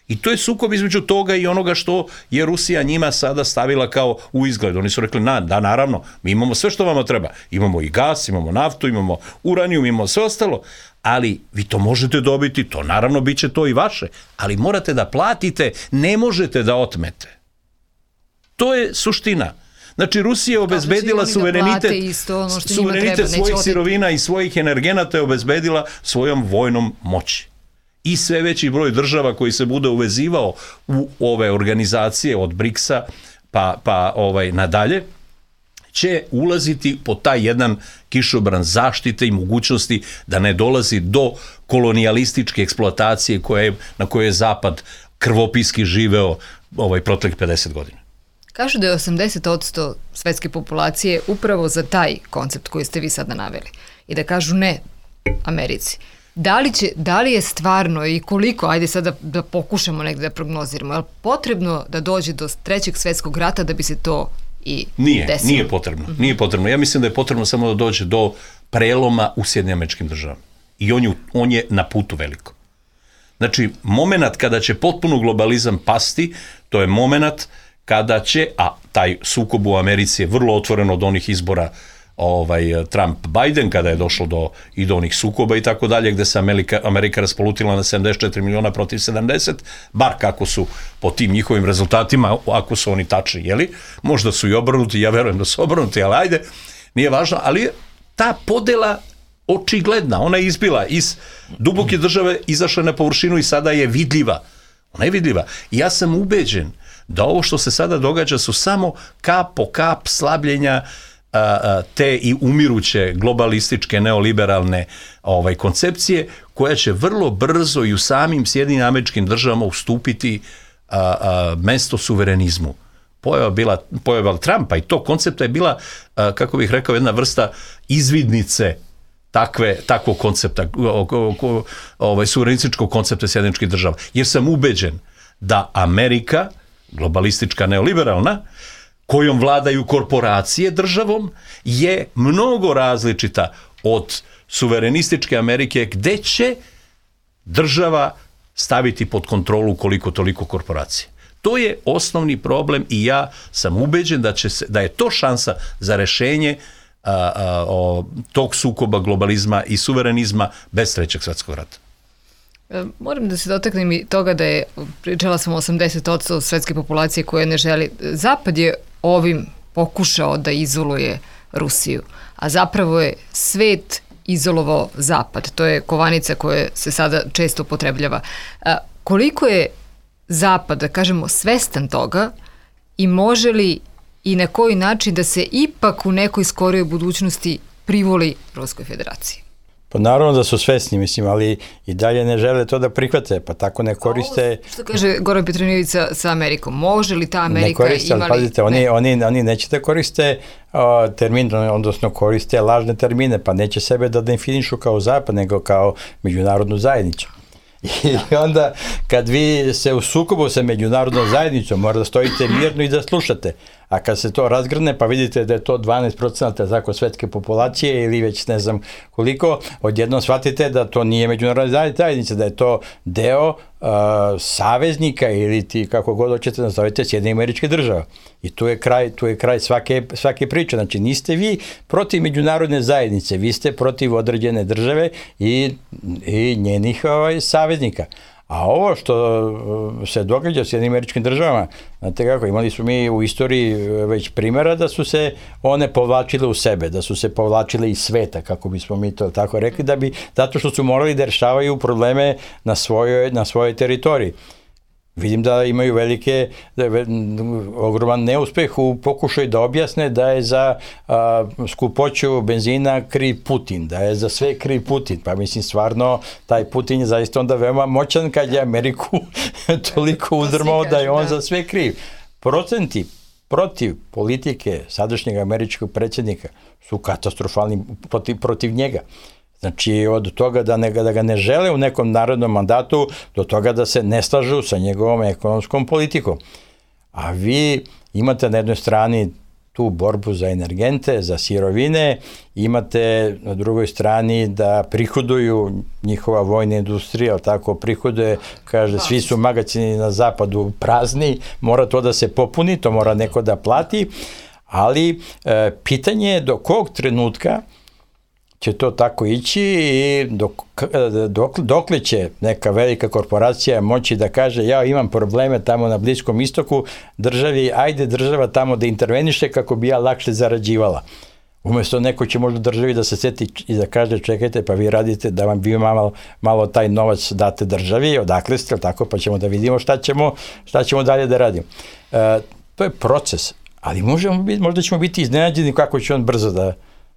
[SPEAKER 4] I to je sukob između toga i onoga što je Rusija njima sada stavila kao u izgled. Oni su rekli, na, da, naravno, mi imamo sve što vama treba. Imamo i gas, imamo naftu, imamo uranijum, imamo sve ostalo, ali vi to možete dobiti, to naravno bit će to i vaše, ali morate da platite, ne možete da otmete. To je suština. Znači, Rusija je obezbedila suverenitet,
[SPEAKER 3] isto, ono
[SPEAKER 4] suverenitet
[SPEAKER 3] treba,
[SPEAKER 4] svojih
[SPEAKER 3] oteti.
[SPEAKER 4] sirovina i svojih energenata je obezbedila svojom vojnom moći. I sve veći broj država koji se bude uvezivao u ove organizacije od briksa pa, pa ovaj, nadalje, će ulaziti po taj jedan kišobran zaštite i mogućnosti da ne dolazi do kolonijalističke eksploatacije koje, na kojoj je Zapad krvopiski živeo ovaj proteklih pedeset godina.
[SPEAKER 3] Kažu da je osamdeset posto svetske populacije upravo za taj koncept koji ste vi sada naveli. I da kažu ne Americi. Da li, će, da li je stvarno i koliko, ajde sad da, da pokušamo negde da prognoziramo, je li potrebno da dođe do trećeg svetskog rata da bi se to i
[SPEAKER 4] nije,
[SPEAKER 3] desilo?
[SPEAKER 4] Nije potrebno, mm-hmm. nije potrebno. Ja mislim da je potrebno samo da dođe do preloma u Sjedinjenim Američkim Državama. I on je, on je na putu veliko. Znači, moment kada će potpuno globalizam pasti, to je moment kada će, a taj sukob u Americi je vrlo otvoren od onih izbora ovaj, Trump-Biden, kada je došlo do, i do onih sukoba i tako dalje, gde se Amerika, Amerika raspolutila na sedamdeset četiri miliona protiv sedamdeset, bar kako su po tim njihovim rezultatima, ako su oni tačni, jeli? Možda su i obrnuti, ja verujem da su obrnuti, ali ajde, nije važno, ali ta podela očigledna, ona je izbila iz duboke države, izašla na površinu i sada je vidljiva. Ona je vidljiva. I ja sam ubeđen da ovo što se sada događa su samo kap po kap slabljenja a, a, te i umiruće globalističke neoliberalne ovaj, koncepcije, koja će vrlo brzo i u samim Sjedinjenim Američkim Državama ustupiti a, a, mesto suverenizmu. Pojava bila, pojava Trumpa i to koncepta je bila, a, kako bih rekao, jedna vrsta izvidnice takve, takvog koncepta, ovaj, suverenističkog koncepta Sjedinjenih Država. Jer sam ubeđen da Amerika, globalistička neoliberalna, kojom vladaju korporacije državom, je mnogo različita od suverenističke Amerike, gde će država staviti pod kontrolu koliko toliko korporacije. To je osnovni problem i ja sam ubeđen da, će se, da je to šansa za rešenje a, a, o, tog sukoba globalizma i suverenizma bez trećeg svetskog rata.
[SPEAKER 3] Moram da se dotaknem i toga da je, pričala sam o osamdeset posto svetske populacije koje ne želi. Zapad je ovim pokušao da izoluje Rusiju, a zapravo je svet izolovao Zapad. To je kovanica koja se sada često upotrebljava. A, koliko je Zapad, da kažemo, svestan toga i može li i na koji način da se ipak u nekoj skorijoj budućnosti privoli Ruskoj federaciji?
[SPEAKER 5] Pa naravno da su svesni, mislim, ali i dalje ne žele to da prihvate, pa tako ne koriste...
[SPEAKER 3] Ovo, što kaže Goran Petronijević sa, sa Amerikom, može li ta Amerika
[SPEAKER 5] ne koriste,
[SPEAKER 3] imali...
[SPEAKER 5] Ne koriste, ali pazite, oni, oni, oni neće da koriste uh, termin, odnosno koriste lažne termine, pa neće sebe da definišu kao Zapad, nego kao međunarodnu zajednicu. I onda, kad vi se u sukobu sa međunarodnom zajednicom, mora da stojite mirno i da slušate. A kad se to razgrne, pa vidite da je to dvanaest procenata tako svetske populacije ili već ne znam koliko, odjednom shvatite da to nije međunarodna zajednica, da je to deo uh, saveznika ili ti, kako god hoćete nazovete, Sjedinjenih Američkih Država. I tu je kraj, tu je kraj svake, svake priče. Znači, niste vi protiv međunarodne zajednice, vi ste protiv određene države i, i njenih ovaj, saveznika. A ovo što se događa u Sjedinjenim Američkim Državama, znate kako, imali su mi u istoriji već primjera da su se one povlačile u sebe, da su se povlačile iz sveta, kako bismo mi to tako rekli, da bi, zato što su morali da rešavaju probleme na svojoj, na svojoj teritoriji. Vidim da imaju velike, da je ogroman neuspeh u pokušaju da objasne da je za a, skupoću benzina kriv Putin, da je za sve kriv Putin. Pa mislim, stvarno, taj Putin je zaista onda veoma moćan kad je Ameriku toliko uzdrmao da je on za sve kriv. Procenti protiv politike sadašnjeg američkog predsjednika su katastrofalni protiv, protiv njega. Znači, od toga da, ne, da ga ne žele u nekom narodnom mandatu, do toga da se ne slažu sa njegovom ekonomskom politikom. A vi imate na jednoj strani tu borbu za energente, za sirovine, imate na drugoj strani da prihoduju njihova vojna industrija, ali tako prihoduje, kaže, svi su magacini na zapadu prazni, mora to da se popuni, to mora neko da plati, ali e, pitanje je do kog trenutka će to tako ići i dok, dok, dokle će neka velika korporacija moći da kaže ja imam probleme tamo na Bliskom istoku, državi, ajde država tamo da interveniše kako bi ja lakše zarađivala. Umjesto neko će možda državi da se seti i da kaže čekajte pa vi radite da vam vi malo, malo taj novac date državi, odakle ste, tako, pa ćemo da vidimo šta ćemo, šta ćemo dalje da radimo. E, to je proces, ali možemo biti, možda ćemo biti iznenađeni kako će on brzo da...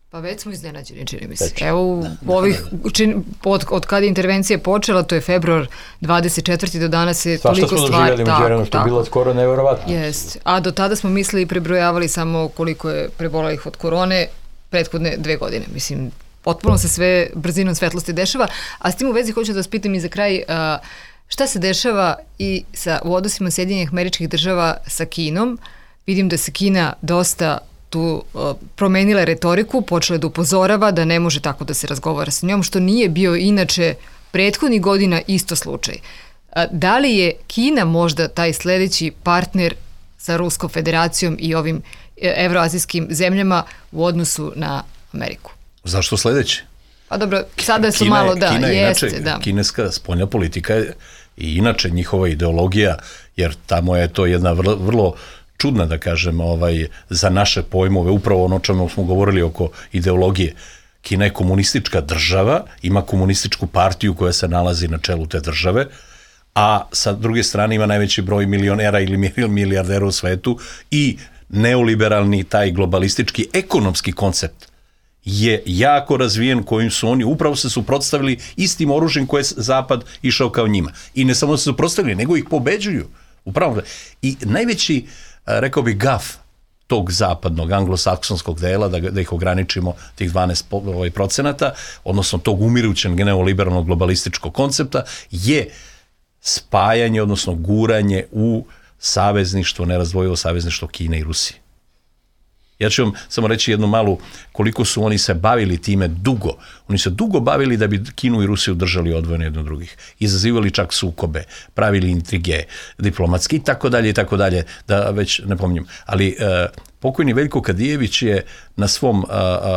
[SPEAKER 3] Pa već smo iznenađeni, čini mi se. Evo, ovih, čin, od, od kada je intervencija počela, to je februar dvadeset četvrti do danas je toliko stvari.
[SPEAKER 5] Svašta smo doživjeli među jednom, što je bilo skoro nevjerovatno.
[SPEAKER 3] Jest. A do tada smo mislili i prebrojavali samo koliko je prebolelih od korone prethodne dve godine. Mislim, potpuno se sve brzinom svetlosti dešava, a s tim u vezi hoću da vas pitam i za kraj, šta se dešava i sa, u odnosima Sjedinjenih Američkih Država sa Kinom? Vidim da se Kina dosta tu promenila retoriku, počela da upozorava da ne može tako da se razgovara sa njom, što nije bio inače prethodnih godina isto slučaj. Da li je Kina možda taj sledeći partner sa Ruskom federacijom i ovim evroazijskim zemljama u odnosu na Ameriku?
[SPEAKER 4] Zašto sledeći?
[SPEAKER 3] Pa dobro, sada su
[SPEAKER 4] Kina,
[SPEAKER 3] malo da,
[SPEAKER 4] Kina
[SPEAKER 3] jeste,
[SPEAKER 4] inače,
[SPEAKER 3] da.
[SPEAKER 4] Kineska spoljna politika je i inače njihova ideologija, jer tamo je to jedna vrlo, vrlo čudna, da kažem, ovaj, za naše pojmove, upravo ono čemu smo govorili oko ideologije. Kina je komunistička država, ima komunističku partiju koja se nalazi na čelu te države, a sa druge strane ima najveći broj milionera ili milijardera u svetu i neoliberalni, taj globalistički ekonomski koncept je jako razvijen, kojim su oni upravo se suprotstavili istim oružjem koje je Zapad išao kao njima. I ne samo da se suprotstavili, nego ih pobeđuju. Upravo. I najveći, rekao bih, gaf tog zapadnog, anglosaksonskog dela, da, da ih ograničimo, tih dvanaest procenata, odnosno tog umirućeg neoliberalnog globalističkog koncepta, je spajanje, odnosno guranje u savezništvo, nerazdvojivo savezništvo Kine i Rusije. Ja ću vam samo reći jednu malu, koliko su oni se bavili time dugo. Oni se dugo bavili da bi Kinu i Rusiju držali odvojene jedno od drugih. Izazivali čak sukobe, pravili intrige, diplomatski i tako dalje i tako dalje, da već ne pominjem. Ali uh, pokojni Veljko Kadijević je na svom uh, uh,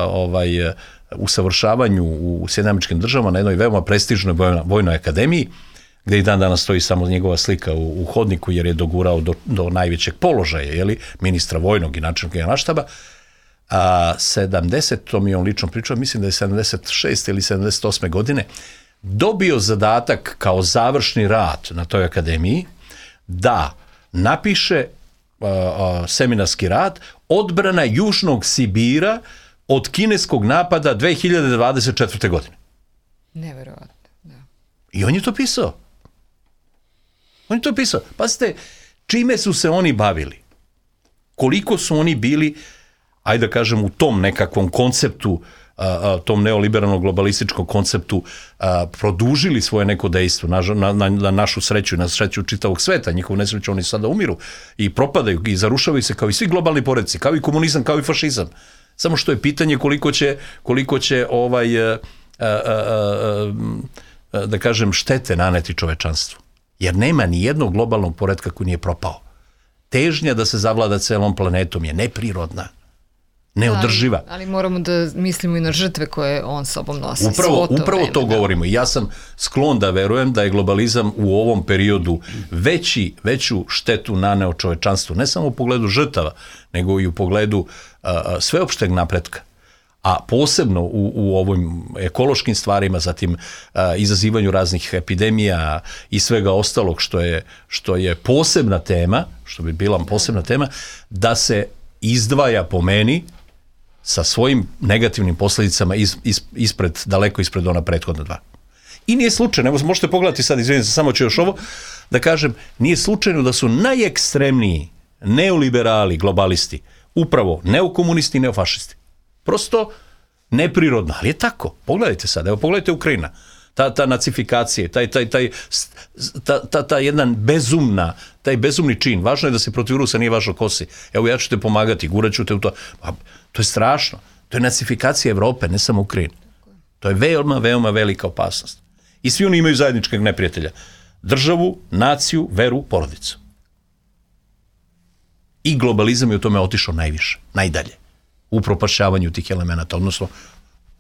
[SPEAKER 4] ovaj, uh, usavršavanju u Sjedinjenim Američkim Državama na jednoj veoma prestižnoj vojnoj, vojnoj akademiji, gde i dan danas stoji samo njegova slika u, u hodniku, jer je dogurao do, do najvećeg položaja, jeli, ministra vojnog i načelnika generalštaba. A sedamdesetom je on lično pričao, mislim da je sedamdeset šeste ili sedamdeset osme godine, dobio zadatak kao završni rad na toj akademiji da napiše a, a, seminarski rad odbrana Južnog Sibira od kineskog napada dve hiljade dvadeset četvrte. godine.
[SPEAKER 3] Neverovatno, da.
[SPEAKER 4] I on je to pisao. On je to pisao. Pazite, čime su se oni bavili? Koliko su oni bili, ajde da kažem, u tom nekakvom konceptu, a, a, tom neoliberalnom globalističkom konceptu, a, produžili svoje neko dejstvo na, na, na, na našu sreću i na sreću čitavog sveta. Njihovu nesreću oni sada umiru i propadaju i zarušavaju se kao i svi globalni poredci, kao i komunizam, kao i fašizam. Samo što je pitanje koliko će, koliko će ovaj, a, a, a, a, da kažem, štete naneti čovečanstvu. Jer nema ni jednog globalnog poretka koji nije propao. Težnja da se zavlada celom planetom je neprirodna, neodrživa.
[SPEAKER 3] Ali, ali moramo da mislimo i na žrtve koje on sobom nosi.
[SPEAKER 4] Upravo,
[SPEAKER 3] to,
[SPEAKER 4] upravo
[SPEAKER 3] vreme,
[SPEAKER 4] to
[SPEAKER 3] da.
[SPEAKER 4] govorimo. I ja sam sklon da verujem da je globalizam u ovom periodu veći, veću štetu naneo čovečanstvu, ne samo u pogledu žrtava, nego i u pogledu a, sveopšteg napretka. A posebno u, u ovim ekološkim stvarima, zatim a, izazivanju raznih epidemija i svega ostalog što je, što je posebna tema, što bi bila posebna tema, da se izdvaja po meni sa svojim negativnim posljedicama iz, iz, ispred, daleko ispred ona prethodna dva. I nije slučajno, evo možete pogledati sad, izvinim se, samo ću još ovo, da kažem, nije slučajno da su najekstremniji neoliberali, globalisti, upravo neokomunisti i neofašisti. Prosto neprirodno, ali je tako. Pogledajte sad, evo pogledajte Ukrajina. Ta, ta nacifikacija, taj, taj, taj, ta, ta, ta jedan bezumna, taj bezumni čin. Važno je da se protiv Rusa, nije važno ko si. Evo ja ću te pomagati, gurat ću te u to. Pa, to je strašno. To je nacifikacija Evrope, ne samo Ukrajine. To je veoma, veoma velika opasnost. I svi oni imaju zajedničkog neprijatelja. Državu, naciju, veru, porodicu. I globalizam je u tome otišao najviše, najdalje. U propašavanju tih elemenata, odnosno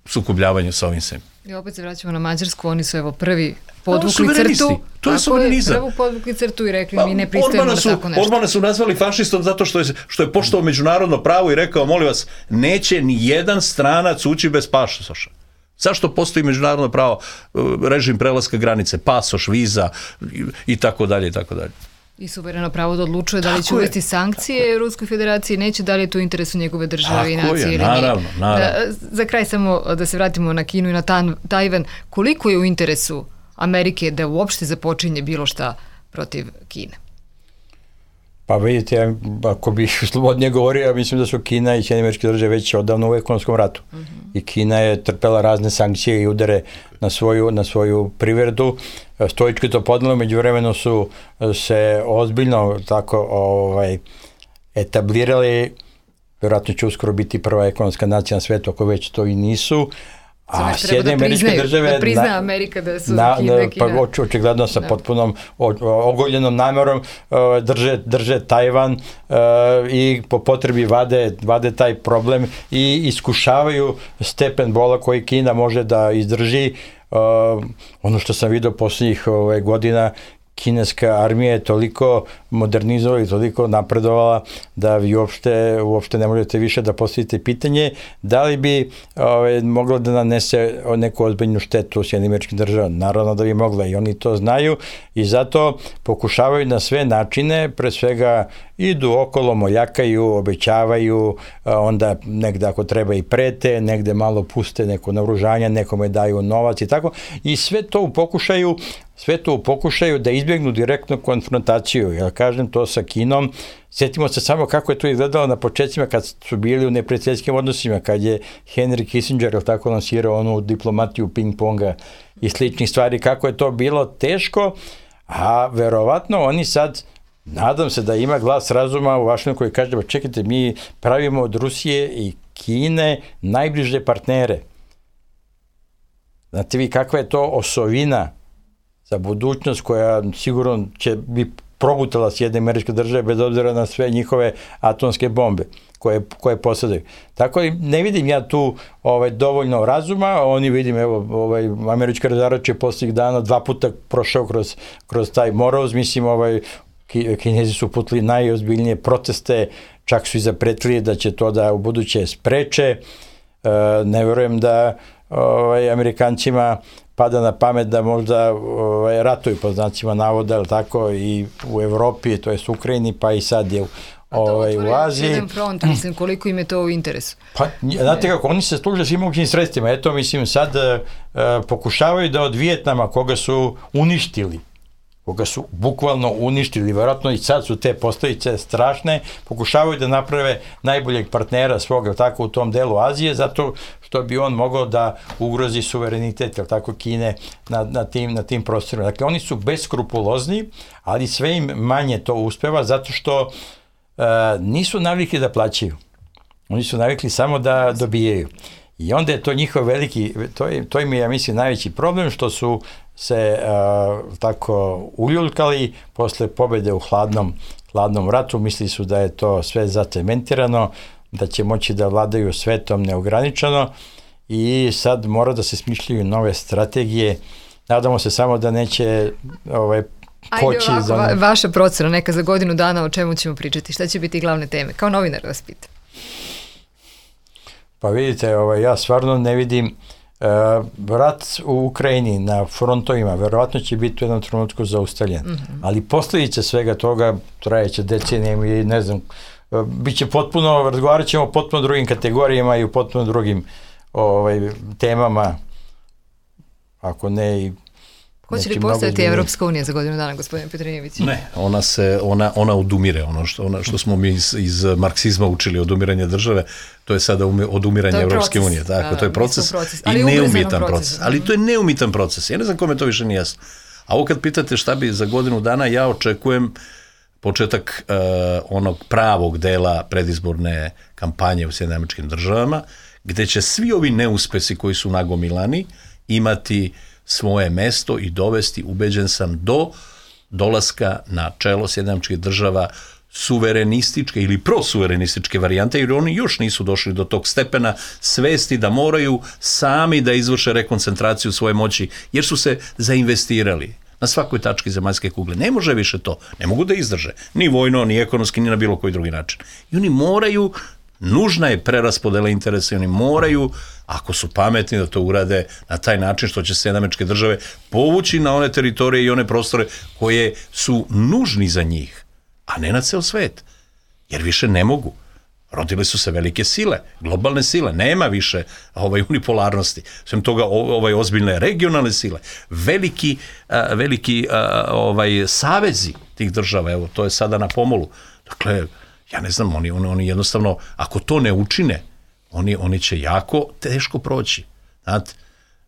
[SPEAKER 4] sukobljavanju sa ovim svim.
[SPEAKER 3] I opet se vraćamo na Mađarsku, oni su evo prvi podvukli crtu.
[SPEAKER 4] To je suverenizam.
[SPEAKER 3] Prvo podvukli crtu i rekli pa, mi ne pristajemo na tako nešto.
[SPEAKER 4] Orbana su nazvali fašistom zato što je, što je poštovao međunarodno pravo i rekao, molim vas, neće ni jedan stranac ući bez pasoša. Zašto postoji međunarodno pravo, režim prelaska granice, pasoš, viza i, i tako dalje i tako dalje.
[SPEAKER 3] I suvereno pravo da odlučuje da li će uvesti sankcije Ruskoj federaciji, neće, da li je to u interesu njegove države i nacije ili
[SPEAKER 4] naravno, naravno.
[SPEAKER 3] Da, za kraj samo da se vratimo na Kinu i na Tajvan, koliko je u interesu Amerike da uopšte započinje bilo šta protiv Kine?
[SPEAKER 5] Pa vidite, ako bih slobodnije govorio, ja mislim da su Kina i Sjedinjene Američke Države već odavno u ekonomskom ratu. Mm-hmm. I Kina je trpela razne sankcije i udare na svoju, na svoju privredu. Stoički to podnelo, međuvremeno su se ozbiljno tako ovaj, etablirali, vjerojatno će uskoro biti prva ekonomska nacija na svetu, ako već to i nisu.
[SPEAKER 3] A Sjedinjene Američke Države da prizna na, Amerika da su na, Kina, Kina.
[SPEAKER 5] Pa oč, očigledno sa da. potpunom ogoljenom namerom drže, drže Tajvan uh, i po potrebi vade, vade taj problem i iskušavaju stepen bola koji Kina može da izdrži. Uh, ono što sam vidio posljednjih ove, godina, kineska armija je toliko modernizovala i toliko napredovala da vi uopšte, uopšte ne možete više da postavite pitanje da li bi ove, moglo da nanese neku ozbiljnu štetu Sjedinjenim Američkim Državama. Naravno da bi mogla i oni to znaju i zato pokušavaju na sve načine, pre svega idu okolo, moljakaju, obećavaju, onda negde ako treba i prete, negde malo puste neko naoružanje, nekome daju novac i tako. I sve to u pokušaju sve to u pokušaju da izbjegnu direktnu konfrontaciju. Ja kažem to sa Kinom. Sjetimo se samo kako je to izgledalo na početcima kad su bili u neprijateljskim odnosima, kad je Henry Kissinger, jel tako, lansirao onu diplomatiju ping-ponga i sličnih stvari, kako je to bilo teško, a verovatno oni sad, nadam se da ima glas razuma u Vašingtonu koji kaže, čekajte, mi pravimo od Rusije i Kine najbliže partnere. Znate vi kakva je to osovina za budućnost koja sigurno će bi progutala Sjedinjene Američke Države bez obzira na sve njihove atomske bombe koje, koje posjedaju. Tako i ne vidim ja tu ovaj, dovoljno razuma, oni vidim, evo, ovaj, američka razarač je posljednjih dana dva puta prošao kroz, kroz taj moroz, mislim, ovaj, Kinezi su putili najozbiljnije proteste, čak su i zapretili da će to da u buduće spreče. E, ne vjerujem da ovaj, Amerikancima pada na pamet da možda ovaj, ratuju po znacima navoda, ali tako, i u Evropi, to je u Ukrajini, pa i sad je ovaj, u Aziji.
[SPEAKER 3] Jedan front, mislim, koliko im je to u interesu?
[SPEAKER 5] Pa, znate kako, oni se služe svim mogućim sredstvima. Eto, mislim, sad uh, pokušavaju da od Vijetnama, koga su uništili, koga su bukvalno uništili, vjerojatno i sad su te posljedice strašne, pokušavaju da naprave najboljeg partnera svoga, tako, u tom delu Azije, zato što bi on mogao da ugrozi suverenitet, jel tako, Kine na, na, tim, na tim prostorima. Dakle, oni su beskrupulozni, ali sve im manje to uspeva, zato što uh, nisu navikli da plaćaju. Oni su navikli samo da dobijaju. I onda je to njihov veliki, to, je, to im je, ja mislim, najveći problem, što su se uh, tako uljuljkali posle pobjede u hladnom, hladnom ratu, misli su da je to sve zacementirano, da će moći da vladaju svetom neograničeno i sad mora da se smišljaju nove strategije. Nadamo se samo da neće ovaj, poći.
[SPEAKER 3] Ajde ovako, za... va, vaša procena neka za godinu dana, o čemu ćemo pričati, šta će biti glavne teme? Kao novinar vas pitam.
[SPEAKER 5] Pa vidite, ovaj, ja stvarno ne vidim uh, rat u Ukrajini na frontovima, verovatno će biti u jednom trenutku zaustavljen, mm-hmm. ali posljedice svega toga trajeće decenijama i ne znam, uh, bit će potpuno, razgovarat ćemo o potpuno drugim kategorijama i u potpuno drugim ovaj, temama, ako ne i
[SPEAKER 3] hoće li postojati Evropska unija za godinu dana, gospodine Petrinijević?
[SPEAKER 4] Ne, ona se, ona, ona odumire, ono što, ona, što smo mi iz, iz marksizma učili odumiranje države, to je sada ume, odumiranje Evropske unije, tako, da, to je proces, proces. i neumitan proces, proces, ali to je neumitan proces, ja ne znam kome to više nije jasno. A ovo kad pitate šta bi za godinu dana, ja očekujem početak uh, onog pravog dela predizborne kampanje u Sjedinjenim Američkim Državama, gde će svi ovi neuspesi koji su nagomilani imati svoje mesto i dovesti, ubeđen sam, do dolaska na čelo Sjedinjenih Američkih Država suverenističke ili prosuverenističke varijante, jer oni još nisu došli do tog stepena svesti da moraju sami da izvrše rekoncentraciju svoje moći, jer su se zainvestirali na svakoj tački zemaljske kugle. Ne može više to. Ne mogu da izdrže. Ni vojno, ni ekonomski, ni na bilo koji drugi način. I oni moraju, nužna je preraspodela interesa i oni moraju, ako su pametni, da to urade na taj način što će Sjedinjene Američke Države povući na one teritorije i one prostore koje su nužni za njih, a ne na ceo svet. Jer više ne mogu. Rodile su se velike sile, globalne sile, nema više ovaj, unipolarnosti. Svem toga ovaj, ozbiljne regionalne sile, veliki, a, veliki a, ovaj, savezi tih država, evo, to je sada na pomolu. Dakle, ja ne znam, oni, oni, oni jednostavno, ako to ne učine, oni, oni će jako teško proći. Znate,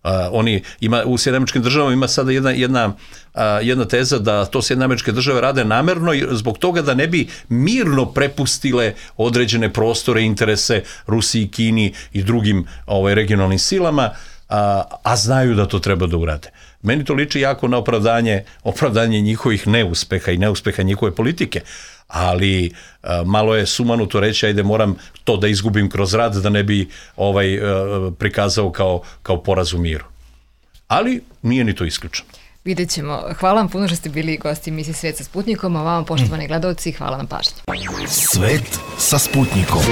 [SPEAKER 4] Uh, oni ima, u Sjedinjenim Američkim Državama ima sada jedna, jedna, uh, jedna teza da to Sjedinjene Američke Države rade namerno zbog toga da ne bi mirno prepustile određene prostore, interese Rusiji, Kini i drugim ovaj, regionalnim silama, a, a znaju da to treba da urade. Meni to liči jako na opravdanje, opravdanje njihovih neuspeha i neuspeha njihove politike, ali a, malo je sumanuto reći, ajde moram to da izgubim kroz rad da ne bi ovaj a, prikazao kao, kao poraz u miru. Ali nije ni to isključeno.
[SPEAKER 3] Vidjet ćemo. Hvala vam puno što ste bili gosti emisije Svet sa Sputnikom, a vama poštovani gledalci, hvala na pažnji.
[SPEAKER 1] Svet sa Sputnikom.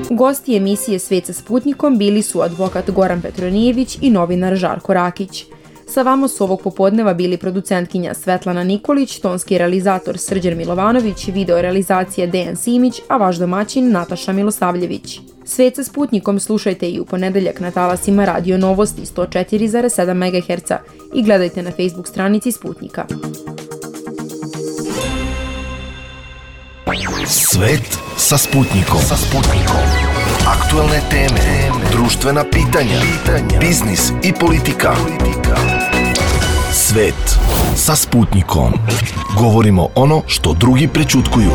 [SPEAKER 2] Gosti emisije Svet sa Sputnikom bili su advokat Goran Petronijević i novinar Žarko Rakić. Sa vama su ovog popodneva bili producentkinja Svetlana Nikolić, tonski realizator Srđan Milovanović, video realizacija Dejan Simić, a vaš domaćin Nataša Milosavljević. Svet sa Sputnikom slušajte i u ponedeljak na talasima Radio Novosti sto četiri zarez sedam megaherca i gledajte na Facebook stranici Sputnika.
[SPEAKER 1] Svet sa Sputnikom. Sa Sputnikom. Aktuelne teme, društvena pitanja, biznis i politika. Svet sa Sputnikom. Govorimo ono što drugi prećutkuju.